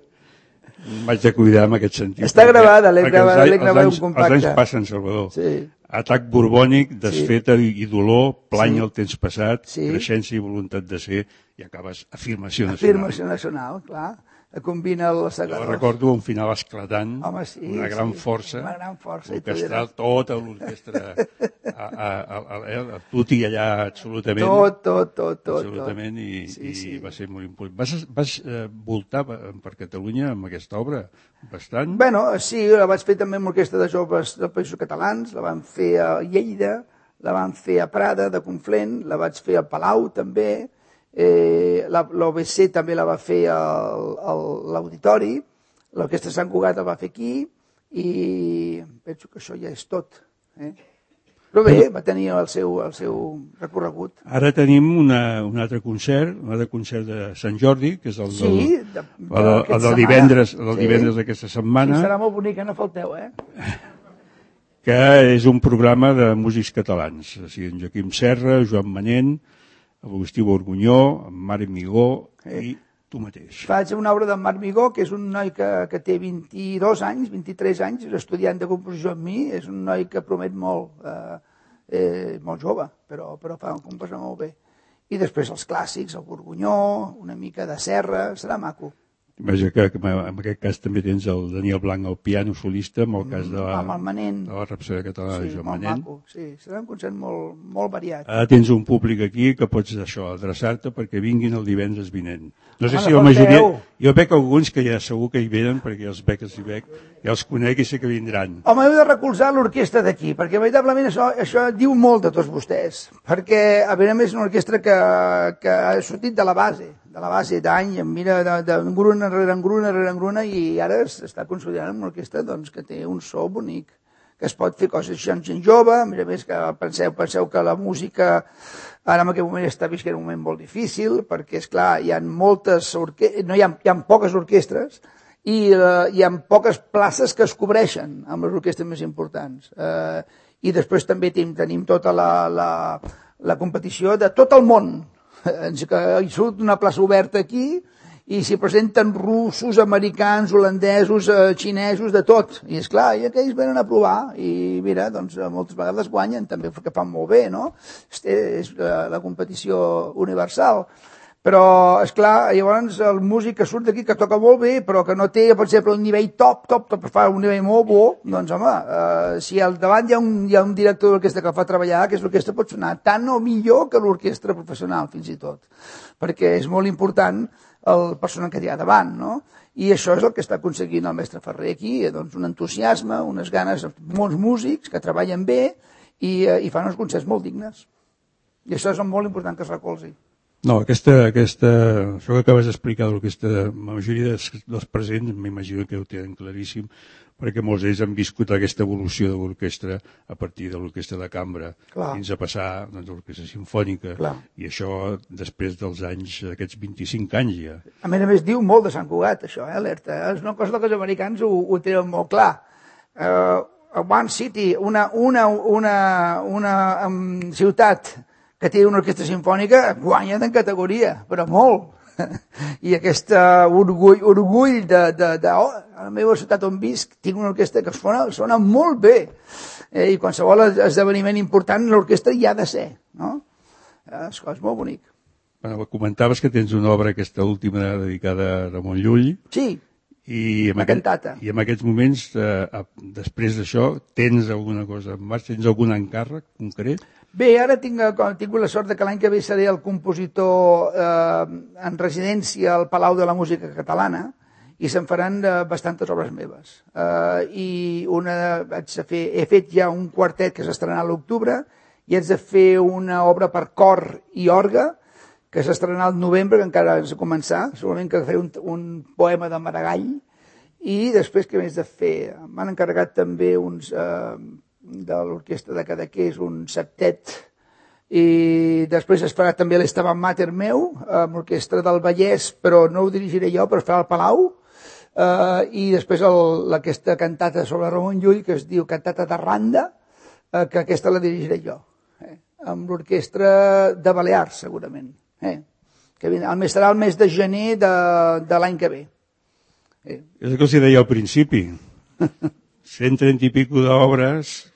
m'haig de cuidar en aquest sentit. Està gravada, l'he gravat un compacte. Els anys passen, Salvador. Sí. Atac borbònic, desfeta i dolor, plany el temps passat, sí. Creixença i voluntat de ser, i acabes afirmació nacional. Afirmació nacional, clar. Combina els segadors. Jo recordo un final esclatant, home, sí, una gran força, orquestral, tota l'orquestra, tot i allà absolutament. Tot. Absolutament, i va ser molt important. Vas voltar per Catalunya amb aquesta obra bastant? Bueno, sí, la vaig fer també amb l'Orquestra de Joves dels Països Catalans, la van fer a Lleida, la van fer a Prada, de Conflent, la vaig fer a Palau també, l'OBC també la va fer a l'Auditori, l'Orquestra Sant Cugat la va fer aquí i penso que això ja és tot. Però bé, va tenir el seu recorregut. Ara tenim un altre concert de Sant Jordi, que és el del divendres d'aquesta setmana. Sí, serà molt bonic, no falteu, que és un programa de músics catalans, o sigui, en Joaquim Serra, Joan Manent, Agustí Borgunyó, en Marc Migó i tu mateix. Faig una obra d'en Marc Migó, que és un noi que té 22 anys, 23 anys, és estudiant de composició amb mi, és un noi que promet molt jove, però fa un composició molt bé. I després els clàssics, el Borgunyó, una mica de Serra, serà maco. Vaja que en aquest cas també tens el Daniel Blanc al piano solista, en el cas de la Rapsodia Catalana de Joan Manent. Sí, serà un concert molt variat. Ara tens un públic aquí que pots adreçar-te perquè vinguin el divendres vinent. No sé si la majoria... Jo veig alguns que ja segur que hi venen perquè els veig, ja els conec i sé que vindran. Home, heu de recolzar l'orquestra d'aquí, perquè veritablement això diu molt de tots vostès, perquè a més és una orquestra que ha sortit de la base d'any, mira, d'engruna rere engruna, i ara s'està consolidant una orquestra que té un so bonic, que es pot fer coses amb gent jove, a més que penseu que la música ara en aquest moment està vist que era un moment molt difícil, perquè, esclar, hi ha poques orquestres i hi ha poques places que es cobreixen amb les orquestres més importants. I després també tenim tota la competició de tot el món. Hi surt una plaça oberta aquí i s'hi presenten russos, americans, holandesos, xinesos, de tot. I esclar, i aquells venen a provar i mira, doncs moltes vegades guanyen també, perquè fan molt bé, no? És la competició universal. Però, esclar, llavors el músic que surt d'aquí, que toca molt bé, però que no té, per exemple, un nivell top, fa un nivell molt bo, doncs, home, si al davant hi ha un director d'orquestra que el fa treballar, que l'orquestra pot sonar tant o millor que l'orquestra professional, fins i tot. Perquè és molt important el persona que hi ha davant, no? I això és el que està aconseguint el mestre Ferrer aquí, doncs un entusiasme, unes ganes, molts músics que treballen bé i fan uns concerts molt dignes. I això és molt important que es recolzi. No, això que acabes d'explicar de l'orquestra, la majoria dels presents m'imagino que ho tenen claríssim, perquè molts d'ells han viscut aquesta evolució de l'orquestra a partir de l'orquestra de cambra, fins a passar a l'orquestra sinfònica, i això després dels anys, d'aquests 25 anys ja. A més, diu molt de Sant Cugat, això, alerta. És una cosa que els americans ho tenen molt clar. One City, una ciutat que té una orquestra sinfònica, guanya en categoria, però molt. I aquest orgull de la meva ciutat on visc, tinc una orquestra que sona molt bé, i qualsevol esdeveniment important l'orquestra hi ha de ser, no? És molt bonic. Bueno, comentaves que tens una obra, aquesta última, dedicada a Ramon Llull. Sí, una cantata. I en aquests moments, després d'això, tens alguna cosa en marxa? Tens algun encàrrec concret? Bé, ara tinc la sort que l'any que ve seré el compositor en residència al Palau de la Música Catalana i se'n faran bastantes obres meves. I he fet ja un quartet que s'estrenarà a l'octubre i haig de fer una obra per cor i orgue que s'estrenarà al novembre, que encara has de començar, segurament que faré un poema de Maragall, i després què més de fer? M'han encarregat també uns de l'orquestra de Cadaqués, un septet, i després es farà també l'Estaban Mater meu, amb l'orquestra del Vallès, però no ho dirigiré jo, però es farà al Palau, i després aquesta cantata sobre Ramon Llull, que es diu Cantata de Randa, que aquesta la dirigiré jo, amb l'orquestra de Balears, segurament. Que serà el mes de gener de l'any que ve. És el que els deia al principi. 130 i pico d'obres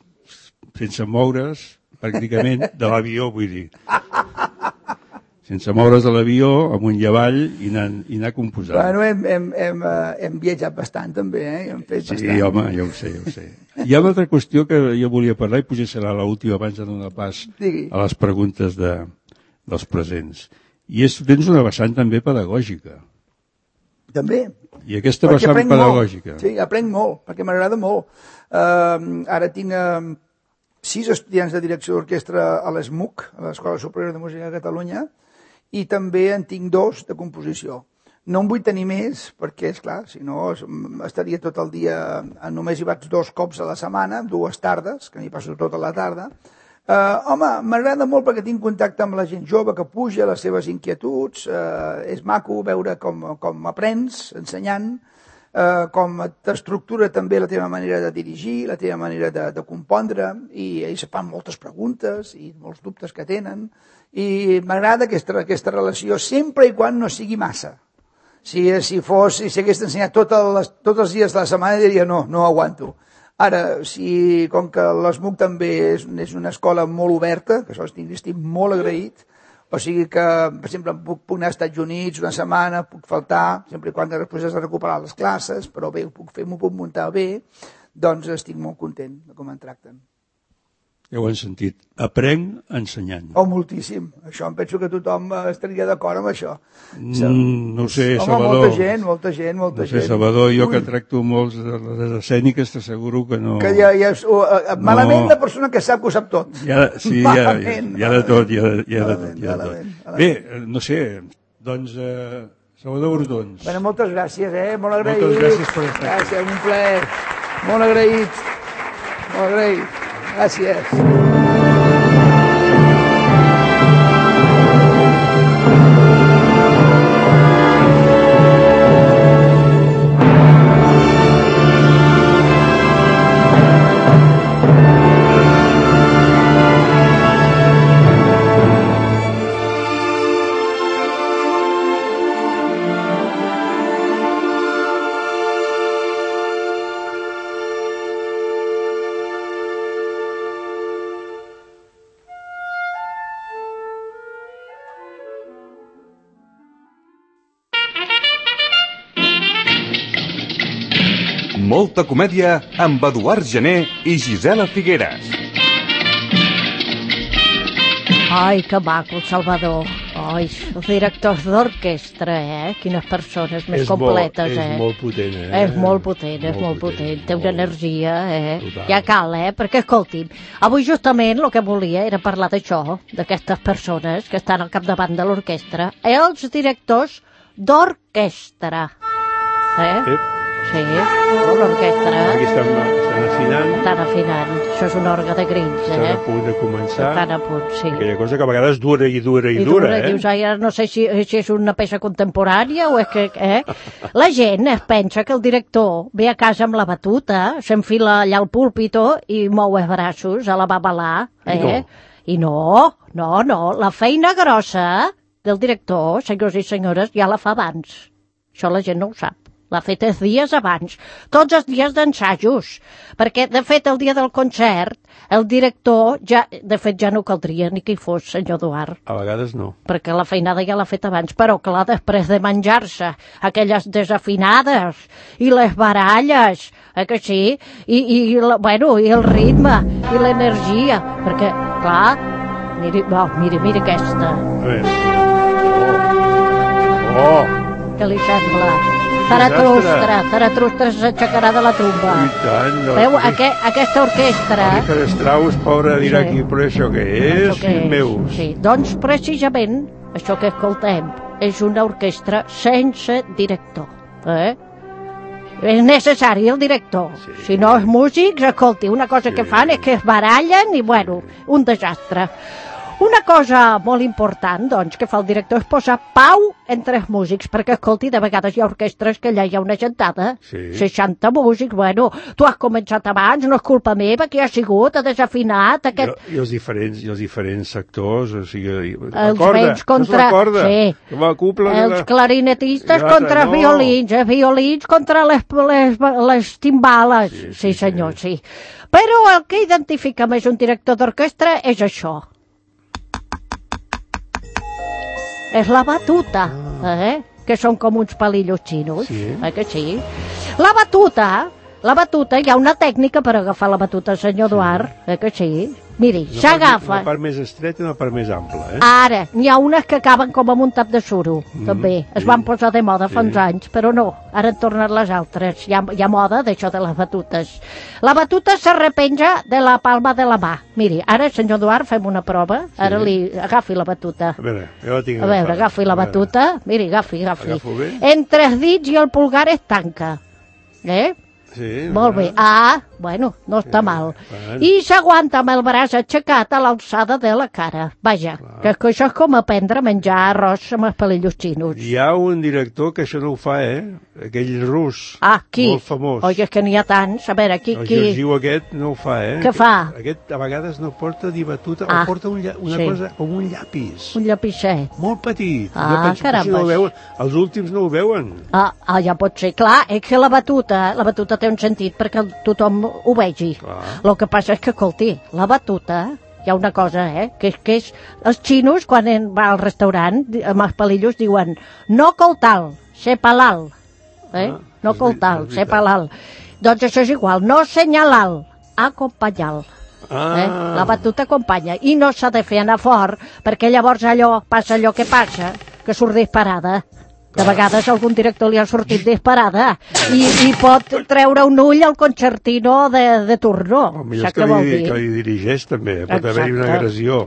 sense moure's, pràcticament, de l'avió, vull dir. Sense moure's de l'avió, amunt i avall, i anar composant. Bueno, hem viatjat bastant, també, hem fet bastant. Sí, home, ja ho sé. Hi ha una altra qüestió que jo volia parlar, i potser serà l'última abans de donar pas a les preguntes dels presents. I tens una vessant també pedagògica. També. I aquesta vessant pedagògica. Sí, aprenc molt, perquè m'agrada molt. Ara tinc 6 estudiants de direcció d'orquestra a l'ESMUC, a l'Escola Superior de Música de Catalunya, i també en tinc 2 de composició. No en vull tenir més, perquè, esclar, si no estaria tot el dia... Només hi vaig 2 cops a la setmana, 2 tardes, que m'hi passo tota la tarda. Home, m'agrada molt perquè tinc contacte amb la gent jove que puja, les seves inquietuds, és maco veure com aprens ensenyant, com t'estructura també la teva manera de dirigir, la teva manera de compondre, i ells fan moltes preguntes i molts dubtes que tenen, i m'agrada aquesta relació sempre i quan no sigui massa. Si hagués ensenyat tots els dies de la setmana diria no aguanto. Ara, com que l'ESMUC també és una escola molt oberta, que això estic molt agraït, o sigui que, per exemple, puc anar als Estats Units una setmana, puc faltar, sempre i quan després has de recuperar les classes, però bé, m'ho puc muntar bé, doncs estic molt content de com em tracten. Ja ho han sentit. Aprenc ensenyant. Oh, moltíssim. Això em penso que tothom estaria d'acord amb això. No sé, Salvador. Molta gent. No sé, Salvador, jo que tracto molts de les escèniques t'asseguro que no... Malament la persona que sap que ho sap tot. Hi ha de tot. Bé, no sé, doncs... Salvador Brotons. Bé, moltes gràcies, molt agraït. Moltes gràcies per estar aquí. Gràcies, un plaer. Molt agraït. Gràcies. Molta comèdia amb Eduard Gené i Gisela Figueres. Ai, que maco, el Salvador. Ai, els directors d'orquestra, Quines persones més completes, És molt potent, És molt potent. Té una energia, Ja cal, perquè, escolti'm, avui justament el que volia era parlar d'això, d'aquestes persones que estan al capdavant de l'orquestra, els directors d'orquestra. Sí, l'orquestra. Aquí estan afinant. Estan afinant. Això és un òrgan de grills, Estan a punt de començar. Estan a punt, sí. Aquella cosa que a vegades dura. I dius, no sé si és una peça contemporània o és que... La gent es pensa que el director ve a casa amb la batuta, s'enfila allà al púlpito i mou els braços a la babalà, I no, la feina grossa del director, senyors i senyores, ja la fa abans. Això la gent no ho sap. L'ha fet els dies abans, tots els dies d'ensajos, perquè, de fet, el dia del concert, el director, de fet, ja no caldria ni que hi fos, senyor Eduard. A vegades no. Perquè la feinada ja l'ha fet abans, però, clar, després de menjar-se aquelles desafinades i les baralles, que sí, i el ritme i l'energia, perquè, clar, miri aquesta. A veure. Què li sembla? Zaratustra s'aixecarà de la tumba. I tant. Veu, aquesta orquestra... Richard Strauss, pobre, dirà aquí, però això què és, fills meus? Sí, doncs precisament això que escoltem és una orquestra sense director. És necessari el director. Si no els músics, escolti, una cosa que fan és que es barallen i, bueno, un desastre. Una cosa molt important, doncs, que fa el director és posar pau entre els músics, perquè, escolti, de vegades hi ha orquestres que allà hi ha una gentada, 60 músics, bueno, tu has començat abans, no és culpa meva, que ha sigut, ha desafinat, aquest... I els diferents sectors, o sigui... Els vents contra... Sí. Els clarinetistes contra els violins, els violins contra les timbales, sí senyor, sí. Però el que identifica més un director d'orquestra és això. És la batuta, que són com uns palillos xinos, que sí? La batuta, hi ha una tècnica per agafar la batuta, senyor Eduard, que sí? Miri, s'agafa... Una part més estreta i una part més ampla, Ara, n'hi ha unes que acaben com amb un tap de suro, també. Es van posar de moda fa uns anys, però no, ara han tornat les altres. Hi ha moda d'això de les batutes. La batuta s'arrepenja de la palma de la mà. Miri, ara, senyor Eduard, fem una prova. Ara agafi la batuta. A veure, jo la tinc agafada. A veure, agafi la batuta. Miri, agafi. Agafo bé? Entre els dits i el pulgar es tanca. Sí. Molt bé. Bueno, no està mal. I s'aguanta amb el braç aixecat a l'alçada de la cara. Vaja, que això és com aprendre a menjar arròs amb els palillos xinos. Hi ha un director que això no ho fa, aquell rus. Qui? Molt famós. Oi, és que n'hi ha tants. A veure, qui? El Georgiu aquest no ho fa, Què fa? Aquest a vegades no porta ni batuta, o porta una cosa com un llapis. Un llapisset. Molt petit. Jo penso que si no ho veuen, els últims no ho veuen. Ja pot ser. Clar, és que la batuta té un sentit perquè tothom ho vegi. El que passa és que, escolti, la batuta, hi ha una cosa, que és... Els xinos, quan va al restaurant, amb els palillos, diuen no coltal, sé palal. No coltal, sé palal. Doncs això és igual, no senyalal, acompanyal. La batuta acompanya. I no s'ha de fer anar fort, perquè llavors passa allò que passa, que surt disparada. De vegades algun director li ha sortit disparada i pot treure un ull al concertino de turno. Millor que li dirigeix també, pot haver-hi una agressió.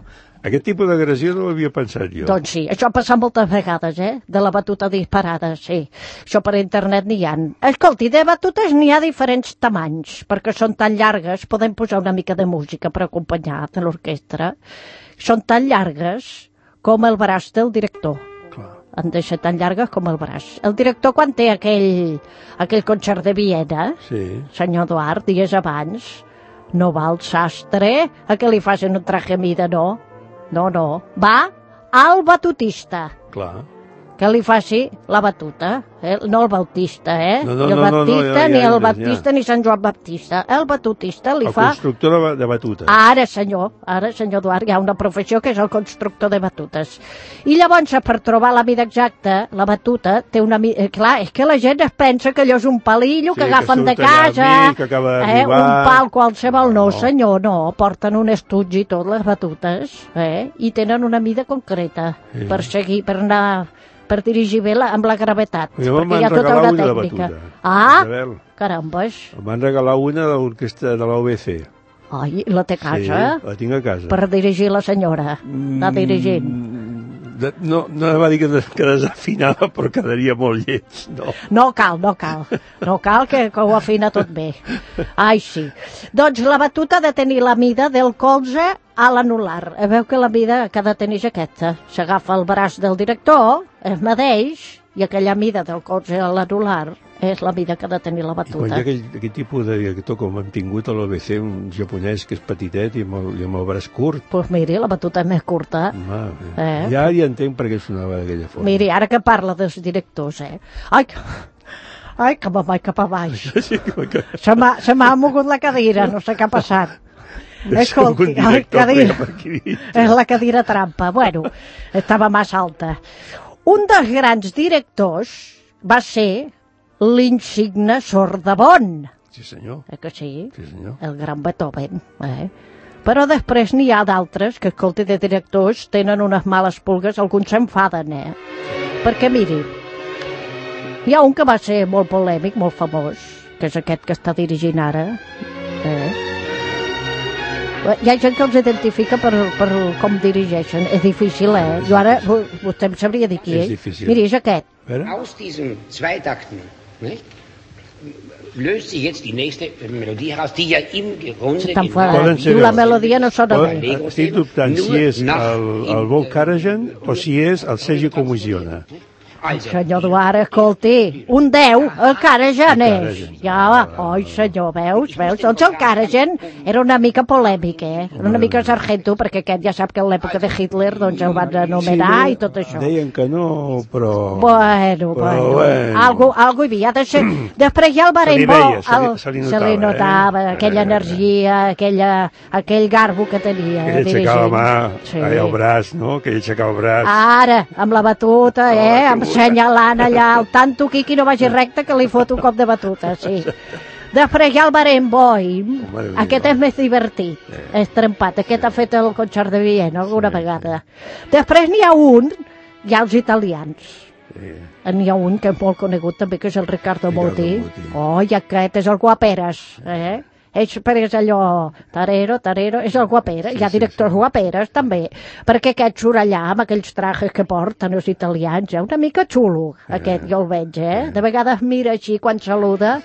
Aquest tipus d'agressió no ho havia pensat jo. Doncs sí, això ha passat moltes vegades, de la batuta disparada, sí. Això per internet n'hi ha. Escolti, de batutes n'hi ha diferents tamanys, perquè són tan llargues, podem posar una mica de música per acompanyar de l'orquestra. Són tan llargues com el braç del director. Han de ser tan llargues com el braç. El director, quan té aquell concert de Viena, senyor Eduard, dies abans, no va al sastre a que li facin un traje a mida, no. No. Va al batutista. Clar. Que li faci la batuta, no el bautista, No, el baptista, ni el baptista, ni Sant Joan Baptista. El batutista li fa... El constructor de batutes. Ara, senyor Eduard, hi ha una professió que és el constructor de batutes. I llavors, per trobar la mida exacta, la batuta té una mida... Clar, és que la gent es pensa que allò és un palillo que agafen de casa, un pal qualsevol. No, senyor, no. Porten un estuig i tot, les batutes, i tenen una mida concreta per seguir, per anar... per dirigir bé amb la gravetat, perquè hi ha tota una tècnica. Carambes. Em van regalar una de l'orquestra de l'OBC. Ai, la té a casa? Sí, la tinc a casa. Per dirigir la senyora, anar dirigint. No va dir que desafinava, però quedaria molt lleig, no. No cal que ho afina tot bé. Ai, sí. Doncs la batuta ha de tenir la mida del colze a l'anular. Veu que la mida que ha de tenir és aquesta. S'agafa el braç del director, es medeix, i aquella mida del colze a l'anular és la mida que ha de tenir la I quan batuta. hi ha aquell tipus de director com hem tingut a l'OBC, un japonès que és petitet i amb el braç curt, Doncs miri, la batuta és més curta. ja entenc per què sonava d'aquella forma. Miri, ara que parla dels directors, Ai, que me'n vaig cap a baix. Sí, que... Se m'ha mogut la cadira, no sé què ha passat. Escolti, és la cadira trampa. Bueno, estava massa alta. Un dels grans directors va ser l'insigne Sordabon. Sí, senyor. Que sí? Sí, senyor. El gran Beethoven. Però després n'hi ha d'altres que, escolti, de directors tenen unes males pulgues, alguns s'enfaden, Perquè, miri, hi ha un que va ser molt polèmic, molt famós, que és aquest que està dirigint ara. Hi ha gent que els identifica per com dirigeixen. És difícil, Jo ara, vostè em sabria dir qui és. difícil. Miri, és aquest. Aus diesen zwei Takten, nicht, löst sich jetzt die nächste Melodie heraus, die ja im Grunde... Diu la melodia no sona bé. Estic dubtant si és el Vol Karajan o si és el Sergi Comisiona. Senyor Duart, escolti, un 10, el Karajan és. Ja, oi, senyor, veus? Doncs el Karajan era una mica polèmic, Era una mica sargento, perquè aquest ja sap que en l'època de Hitler doncs el van anomenar i tot això. Deien que no, però... Bueno. Algo hi havia de ser. Després ja el Barenboim, se li notava aquella energia, aquell garbo que tenia. Que ell aixecava la mà, el braç, no? Que ell aixecava el braç. Ara, amb la batuta, amb senyalant allà, el tanto Quiqui no vagi recte que li fot un cop de batuta, sí. Després hi ha el Barenboim, aquest és més divertit, és trempat, aquest ha fet el concert de Viena alguna vegada. Després n'hi ha un, hi ha els italians. N'hi ha un que és molt conegut també, que és el Riccardo Muti. I aquest és el Guaperes, és allò, tarero, és el Guaperes, hi ha directors Guaperes també, perquè aquest surt allà amb aquells trajes que porten els italians, una mica xulo, aquest jo el veig, de vegades mira així quan saluda,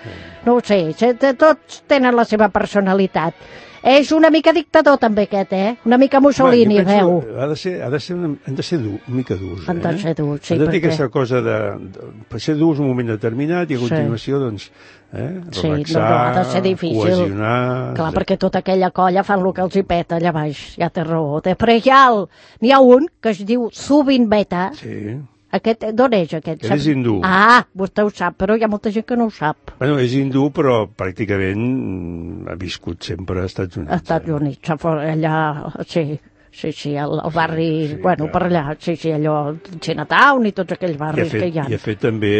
no ho sé, tots tenen la seva personalitat. És una mica dictador també aquest, una mica Mussolini, veu. Han de ser una mica durs, Han de ser durs, sí, perquè... Han de dir aquesta cosa per ser durs un moment determinat i a continuació, doncs, relaxar, ha de ser difícil. Cohesionar... Clar, perquè tota aquella colla fan el que els hi peta allà baix, ja té raó. Després n'hi ha un que es diu Zubin Mehta. Sí. Aquest, d'on és aquest? És hindú. Vostè ho sap, però hi ha molta gent que no ho sap. Bueno, és hindú, però pràcticament ha viscut sempre als Estats Units. Als Estats Units, allà, sí, al barri, bueno, per allà, sí, allò, Chinatown i tots aquells barris que hi ha. I ha fet també,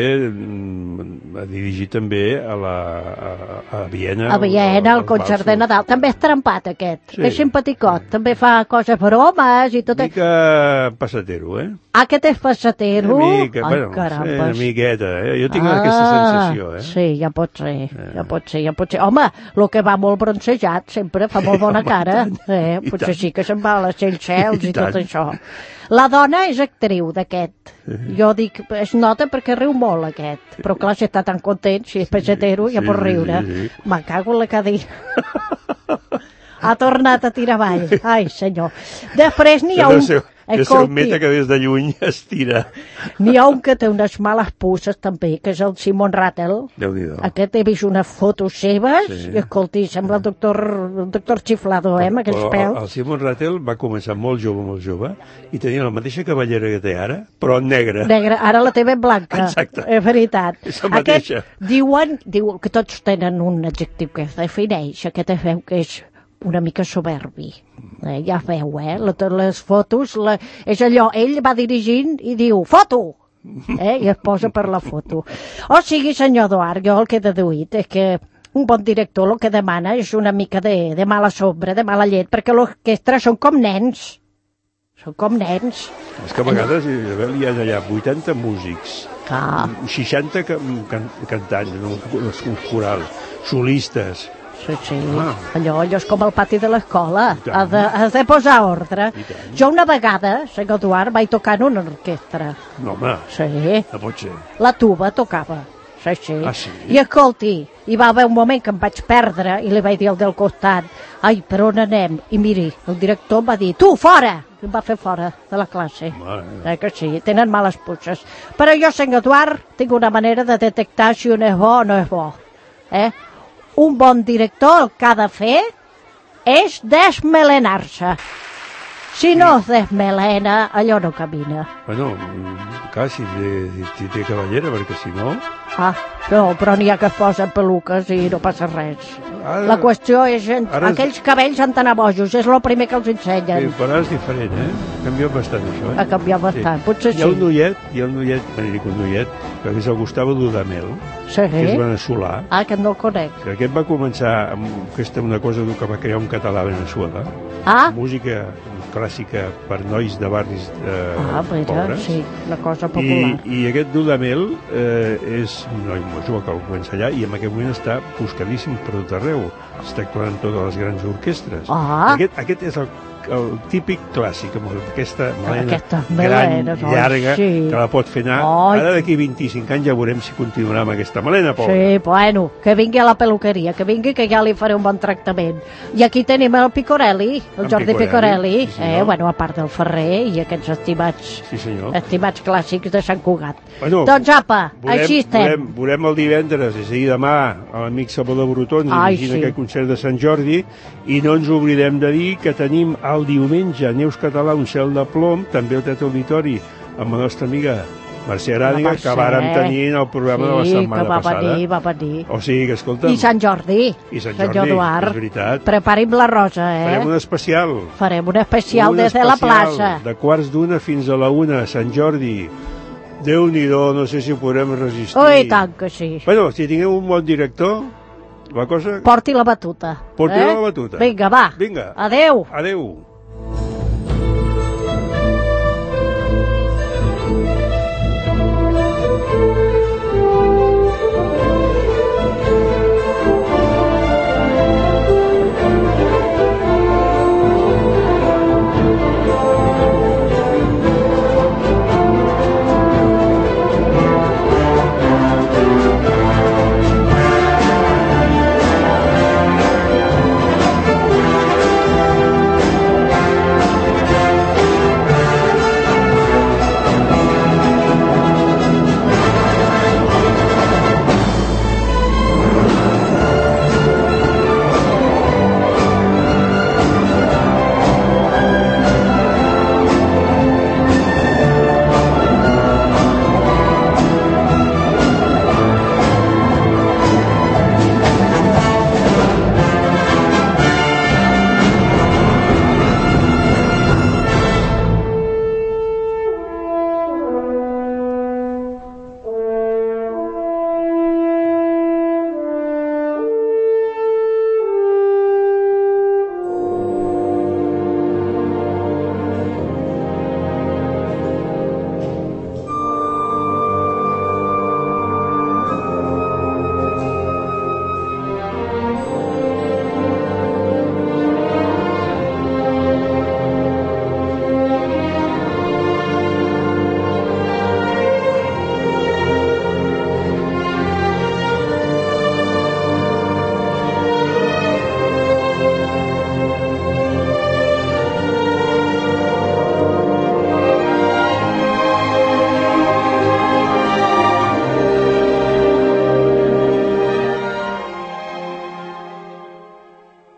ha dirigit també a Viena. A Viena, el concert de Nadal. També és trempat, aquest. És simpaticot. També fa coses bromes i tot. Mica passatero, Aquest és passatero? Una mica, una miqueta, Jo tinc aquesta sensació, Sí, ja pot ser. Home, el que va molt bronzejat sempre fa molt bona cara. Potser sí que se'n va a les Seychelles i tot això. La dona és actriu d'aquest. Jo dic, es nota perquè riu molt aquest. Però clar, si està tan content, si és passatero, ja pot riure. Me'n cago en la cadira. Ha tornat a tirar avall. Ai, senyor. Després n'hi ha un... És el Meta que des de lluny es tira. N'hi ha un que té unes males pusses també, que és el Simon Rattle. Déu-n'hi-do. Aquest he vist unes fotos seves i escolti, sembla el doctor Chiflado, amb aquells pèls. El Simon Rattle va començar molt jove, i tenia la mateixa cavallera que té ara, però en negre. Ara la té ben blanca. Exacte. És veritat. És la mateixa. Diuen que tots tenen un adjectiu que es defineix, aquest es veu que és una mica soberbi. Ja veu, les fotos, és allò, ell va dirigint i diu, foto! I es posa per la foto. O sigui, senyor Duart, jo el que he deduït és que un bon director el que demana és una mica de mala sombra, de mala llet, perquè l'orquestra són com nens. Són com nens. És que a vegades hi ha allà 80 músics, 60 cantants, els corals, solistes. Sí. Allò és com el pati de l'escola. Has de posar ordre. Jo una vegada, senyor Eduard, vaig tocar en una orquestra. No, home, sí. No pot ser. La tuba tocava. sí. Ah, sí? I escolti, hi va haver un moment que em vaig perdre i li vaig dir al del costat, ai, per on anem? I miri, el director em va dir, tu, fora! I em va fer fora de la classe. Que sí, tenen males puces. Però jo, senyor Eduard, tinc una manera de detectar si un és bo o no és bo. Un bon director el que ha de fer és desmelenar-se. Si no es desmelena, allò no camina. Bueno, clar, si té cavallera, perquè si no... Ah, no, però n'hi ha que es posen peluques i no passa res. La qüestió és... Aquells cabells han d'anar bojos, és el primer que els ensenyen. Sí, però és diferent, Ha canviat bastant, això, Ha canviat bastant, potser sí. Hi ha un noiet, que és el Gustavo Dudamel, que és veneçolà. Ah, aquest no el conec. Que aquest va començar amb una cosa que va crear un català a Veneçuela. Música clàssica per nois de barris pobres. Sí, una cosa popular. I aquest Dudamel és un noi molt jove que el comença allà i en aquest moment està buscadíssim per tot arreu. Està actuant en totes les grans orquestres. Aquest és el típic clàssic, amb aquesta melena gran, llarga, que la pot fer anar. Ara d'aquí 25 anys ja veurem si continuarà amb aquesta melena, pobra. Sí, bueno, que vingui a la peluqueria, que vingui, que ja li faré un bon tractament. I aquí tenim el Picorelli, el Jordi Picorelli, a part del Ferrer i aquests estimats clàssics de Sant Cugat. Doncs apa, així estem. Veurem el divendres, és a dir, demà, a l'amic Salvador Brutons, dirigint aquest concert de Sant Jordi, i no ens oblidem de dir que tenim el diumenge Neus Català, un cel de plom, també al Teatre Auditori, amb la nostra amiga Mercè Aràdiga, que vàrem tenir en el programa de la setmana passada. Sí, que va venir. O sigui que, escolta'm... I Sant Jordi. Eduard. És veritat. Preparim la rosa, Farem un especial. Farem un especial des de la plaça. De 12:15 fins a la 1, Sant Jordi. Déu-n'hi-do, no sé si ho podrem resistir. I tant que sí. Bueno, si tinguem un bon director, la cosa... Porti la batuta. La batuta. Vinga, va. Vinga. Adéu. Adéu.